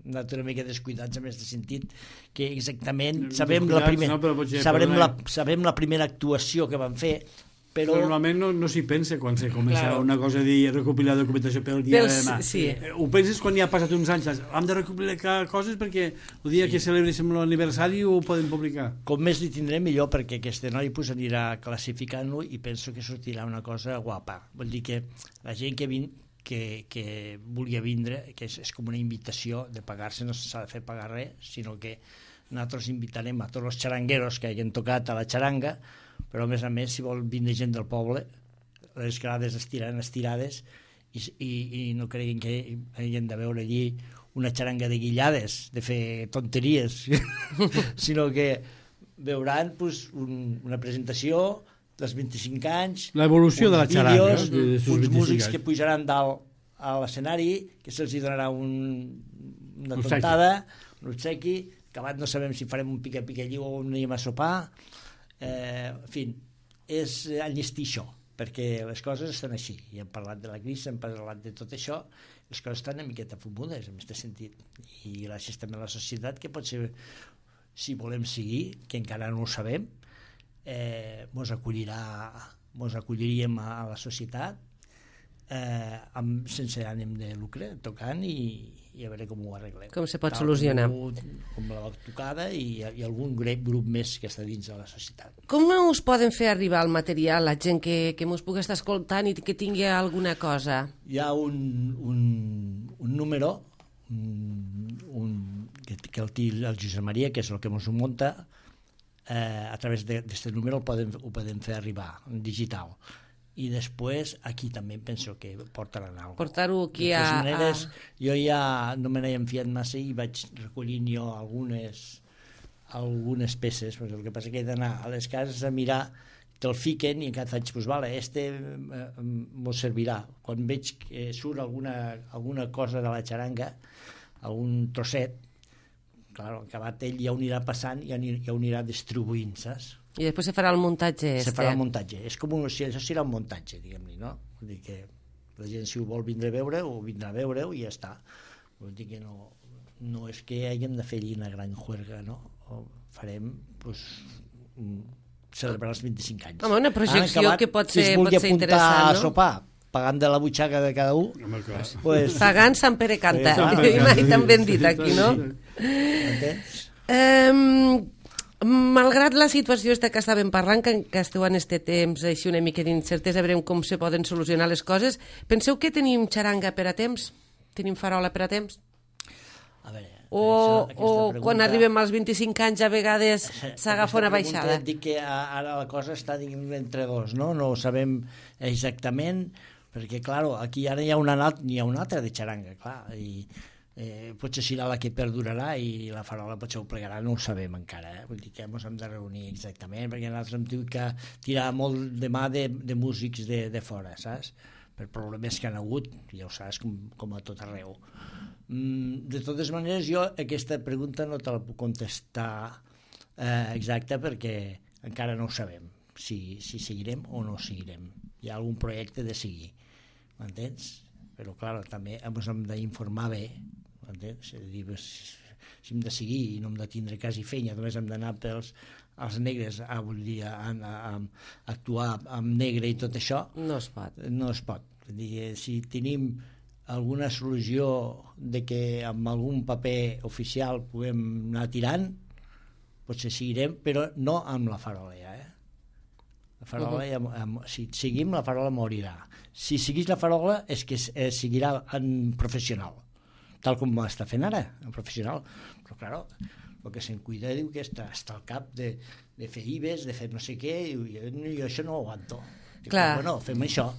C: hem anat una mica descuidats en aquest sentit, que exactament sabem la primera actuació que vam fer, però
D: normalment no s'hi pensa quan se comença una cosa a dir recopilar documentació pel dia de demà. Ho penses quan ja ha passat uns anys, hem de recopilar coses perquè el dia que celebréssim l'aniversari ho podem publicar.
C: Com més li tindrem millor, perquè aquest noi anirà classificant-lo i penso que sortirà una cosa guapa. Vol dir que la gent que vulgui vindre, que és com una invitació de pagar-se, no s'ha de fer pagar res, sinó que nosaltres invitarem a tots els xarangueros que hagin tocat a la xaranga, però a més, si vol vindre gent del poble, les grades estiran estirades i no creguin que hagin de veure allí una xaranga de guillades, de fer tonteries, sinó que veuran una presentació dels 25 anys,
D: l'evolució de la xaranga,
C: uns músics que pujaran dalt a l'escenari, que se'ls donarà una tontada, un obsequi, acabat no sabem si farem un pica-pica-lliu o un anem a sopar, en fi, és enllestir això, perquè les coses estan així, i hem parlat de la crisi, hem parlat de tot això, les coses estan una miqueta fumudes en aquest sentit, i gràcies també a la societat, que potser, si volem seguir, que encara no ho sabem, mos acolliríem a la societat sense ànim de lucre, tocant i a veure com ho arreglem.
A: Com se pot solucionar.
C: Com la tocada i algun grup més que està dins de la societat.
A: Com us poden fer arribar el material, la gent que us pugui estar escoltant i que tingui alguna cosa?
C: Hi ha un número que el té el Josep Maria, que és el que ens ho munta, a través d'aquest número ho podem fer arribar en digital, i després aquí també penso que portaran alguna cosa.
A: Portar-ho aquí
C: de totes maneres, jo ja no me n'he enfiat massa i vaig recollint jo algunes peces, perquè el que passa que he d'anar a les cases a mirar, te'l fiquen i encara faig, doncs vale, mos servirà. Quan veig que surt alguna cosa de la xaranga, algun trosset, clar, acabat ell ja ho anirà passant i ja ho anirà distribuint, saps?
A: I després se farà el muntatge.
C: Se farà el muntatge. És com això serà un muntatge, diguem-li, no? Vull dir que la gent, si ho vol vindre a veure, ho vindrà a veure i ja està. Vull dir que no és que hàgim de fer allí una gran juerga, no? Farem, doncs, celebrar els 25 anys.
A: Home, una projecció que pot ser interessant, no?
C: Si es vulgui apuntar a sopar, pagant de la butxaca de cada un,
A: pues... Pagant Sant Pere canta, mai tan ben dit aquí, no?
C: Entens?
A: Malgrat la situació que estàvem parlant, que esteu en aquest temps així una mica d'incertesa, veurem com se poden solucionar les coses, penseu que tenim xaranga per a temps? Tenim farola per a temps?
C: A veure,
A: o quan arribem als 25 anys a vegades s'agafa una baixada?
C: Et dic que ara la cosa està entre dos, no? No ho sabem exactament. perquè, clar, aquí ara hi ha una altra de xaranga, clar, i potser serà la que perdurarà i la farola potser ho plegarà, no ho sabem encara, vull dir que ens hem de reunir exactament, perquè nosaltres hem tingut que tirar molt de mà de músics de fora, saps? Per problemes que han hagut, ja ho saps, com a tot arreu. De totes maneres, jo aquesta pregunta no te la puc contestar exacta perquè encara no ho sabem, si seguirem o no seguirem. Hi ha algun projecte de seguir, m'entens? Però, clar, també ens hem d'informar bé, m'entens? És a dir, si hem de seguir i no hem de tindre quasi feina, només hem d'anar als negres a actuar amb negre i tot això,
A: no es pot.
C: No es pot. Vull dir, si tenim alguna solució de que amb algun paper oficial puguem anar tirant, potser seguirem, però no amb la farola ja, La farola, si seguim, la farola morirà. Si seguís la farola és que seguirà en professional, tal com està fent ara, en professional. Però, clar, el que se'n cuida diu que està al cap de fer IBES, de fer no sé què, i jo això no ho aguanto.
A: Clar.
C: Bueno, fem això.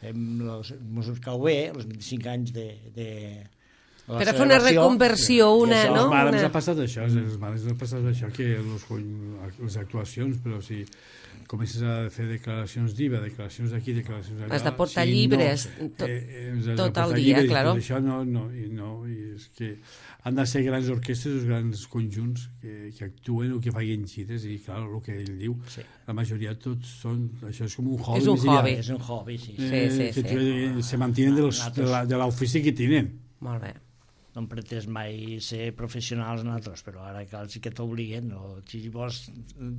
C: Ens cau bé, els 25 anys de
A: per a fer una reconversió, no?
D: Els mares ha passat això, que les actuacions, però si comences a fer declaracions d'IVA, declaracions d'aquí, declaracions d'allà...
A: Has de portar llibres tot el dia, claro.
D: Això no, i és que han de ser grans orquestres, grans conjunts que actuen o que facin gires, i clar, el que ell diu, la majoria tots són... Això és com un hobby.
C: És un hobby, sí.
D: Se mantenen de l'ofici que tenen.
A: Molt bé.
C: No hem pretès mai ser professionals nosaltres, però ara cal sí que t'obliguen, si vols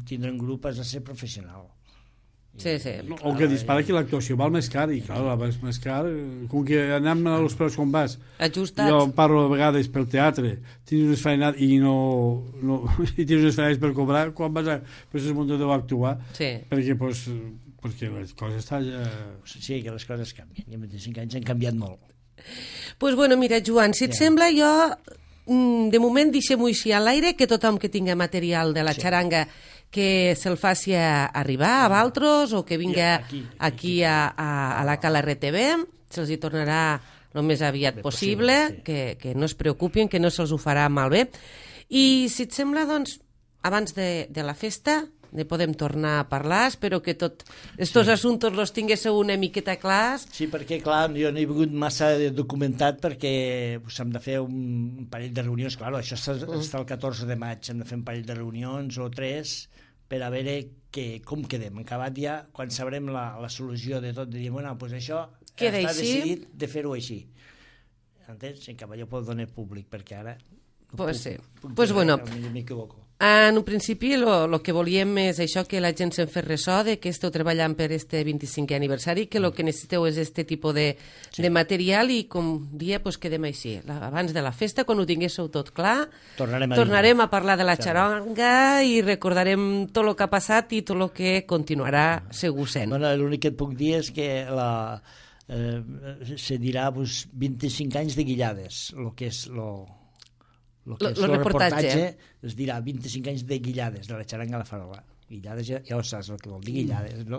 C: tindre un grup has de ser professional.
A: Sí.
D: O que dispara que l'actuació val més car, i clar, la val més car, com que anem a los preus com vas.
A: Ajustats.
D: Jo parlo a vegades pel teatre, tens unes feinades i i tens unes feinades per cobrar, quan vas a aquest muntador a actuar, perquè les coses estan ja...
C: Sí, que les coses canvien, i en 25 anys han canviat molt.
A: Pues bueno, mira, Joan, si et sembla, jo de moment deixem-ho així a l'aire, que tothom que tinga material de la xaranga que se'l faci arribar a Valtros o que vinga aquí a la Cala RTV, se'ls hi tornarà el més aviat possible, que no es preocupin, que no se'ls ho farà malbé. I si et sembla, doncs, abans de la festa ne podem tornar a parlar, espero que tots aquests assumptes els tinguéssiu una miqueta clars.
C: Sí, perquè, clar, jo no he vingut massa documentat perquè hem de fer un parell de reunions, clar, això està el 14 de maig, hem de fer un parell de reunions o 3 per a veure com quedem. En acabat ja, quan sabrem la solució de tot, de dir, bueno, doncs això
A: queda
C: està
A: així.
C: Decidit de fer-ho així. Entens? En acabat jo puc donar públic, perquè ara...
A: Pues sí. Pues bueno,
C: m'equivoco.
A: en un principi el que volíem és això, que la gent se'n fes ressò de que esteu treballant per este 25è aniversari, que el que necessiteu és este tipus de material i com dia pues, quedem així. Abans de la festa, quan ho tinguéssiu tot clar, tornarem a parlar de la xaranga i recordarem tot el que ha passat i tot el que continuarà segur sent.
C: Bueno, l'únic que et puc dir és que se dirà 25 anys de Guillades, el que és el reportatge es dirà 25 anys de Guillades, de la xaranga a la farola. Guillades, ja ho saps el que vol dir Guillades, no?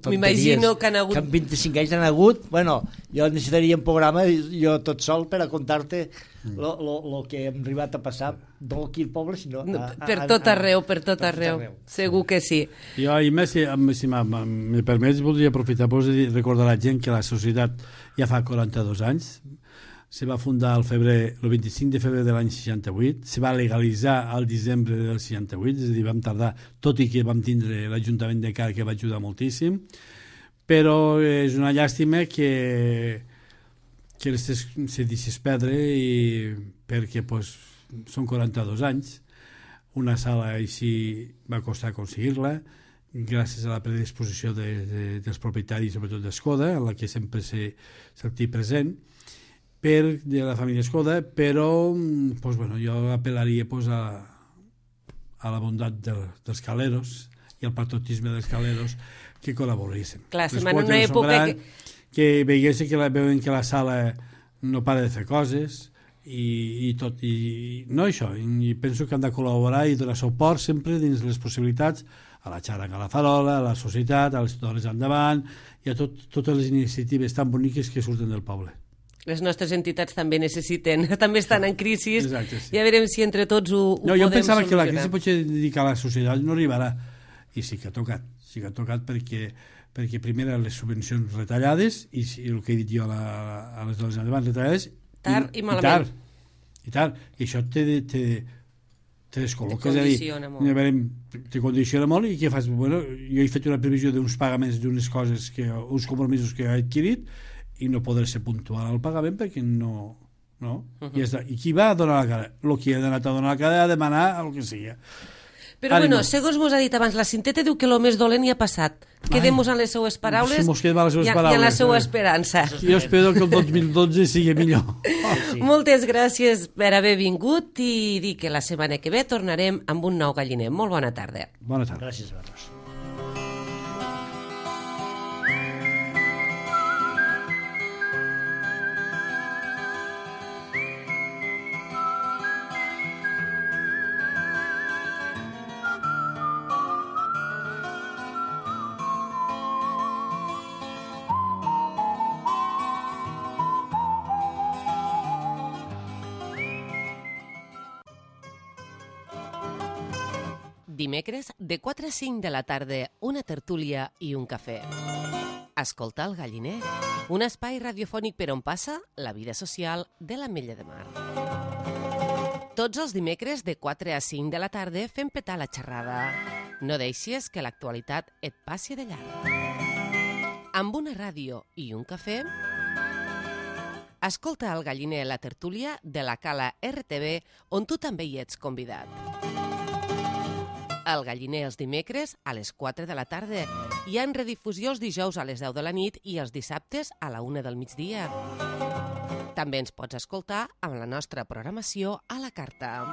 A: M'imagino que han hagut...
C: Que en 25 anys han hagut, bueno, jo necessitaria un programa, jo tot sol, per a contar-te el que hem arribat a passar, no aquí al poble, sinó...
A: Per tot arreu. Segur que sí.
D: Jo, i més, si me permets, voldria aprofitar de recordar a la gent que la societat ja fa 42 anys, se va fundar el 25 de febrer de l'any 68, se va legalitzar al desembre del 68, és a dir, vam tardar, tot i que vam tindre l'Ajuntament de Car, que va ajudar moltíssim, però és una llàstima que se deixés perdre, perquè són 42 anys, una sala així va costar aconseguir-la, gràcies a la predisposició dels propietaris, sobretot d'Escoda, en la que sempre s'ha sentit present, de la família Escoda, però jo apel·laria a la bondat dels caleros i al patriotisme dels caleros que col·laboressin.
A: Clar, en una època
D: que veiessin que veuen que la sala no para de fer coses i tot, i no això, i penso que han de col·laborar i donar suport sempre dins les possibilitats a la Xaranga a la Farola, a la Societat, a les Dones Endavant i a totes les iniciatives tan boniques que surten del poble.
A: Les nostres entitats també necessiten, també estan en crisi.
D: Exacte, sí.
A: Ja veurem si entre tots ho podem solucionar.
D: Jo pensava que la crisi potser dedicar a la societat no arribarà, i sí que ha tocat perquè primer les subvencions retallades i el que he dit jo a les dones endavant retallades
A: tard i malament.
D: I això te descol·loca,
A: te condiciona molt.
D: Te condiciona molt i què fas? Bueno, jo he fet una previsió d'uns pagaments d'unes coses, uns compromisos que he adquirit i no podré ser puntual al pagament perquè no? I qui va a donar la cara? El que ha anat a donar la cara a demanar el que sigui.
A: Però bueno, segons mos ha dit abans, la Cinteta diu que el més dolent ja ha passat. Quedem-nos en les seues paraules i en la seva esperança.
D: Jo espero que el 2012 sigui millor.
A: Moltes gràcies per haver vingut i dir que la setmana que ve tornarem amb un nou galliner. Molt bona tarda.
D: Bona tarda.
C: Gràcies, Barros. Dimecres, de 4 a 5 de la tarda, una tertúlia i un cafè. Escoltar el galliner, un espai radiofònic per on passa la vida social de l'Ametlla de Mar. Tots els dimecres, de 4 a 5 de la tarda, fem petar la xerrada. No deixis que l'actualitat et passi de llarg. Amb una ràdio i un cafè, escolta el galliner, la tertúlia de la Cala RTV, on tu també hi ets convidat. El galliner els dimecres a les 4 de la tarda. Hi ha redifusió els dijous a les 10 de la nit i els dissabtes a la 1 del migdia. També ens pots escoltar amb la nostra programació a la carta.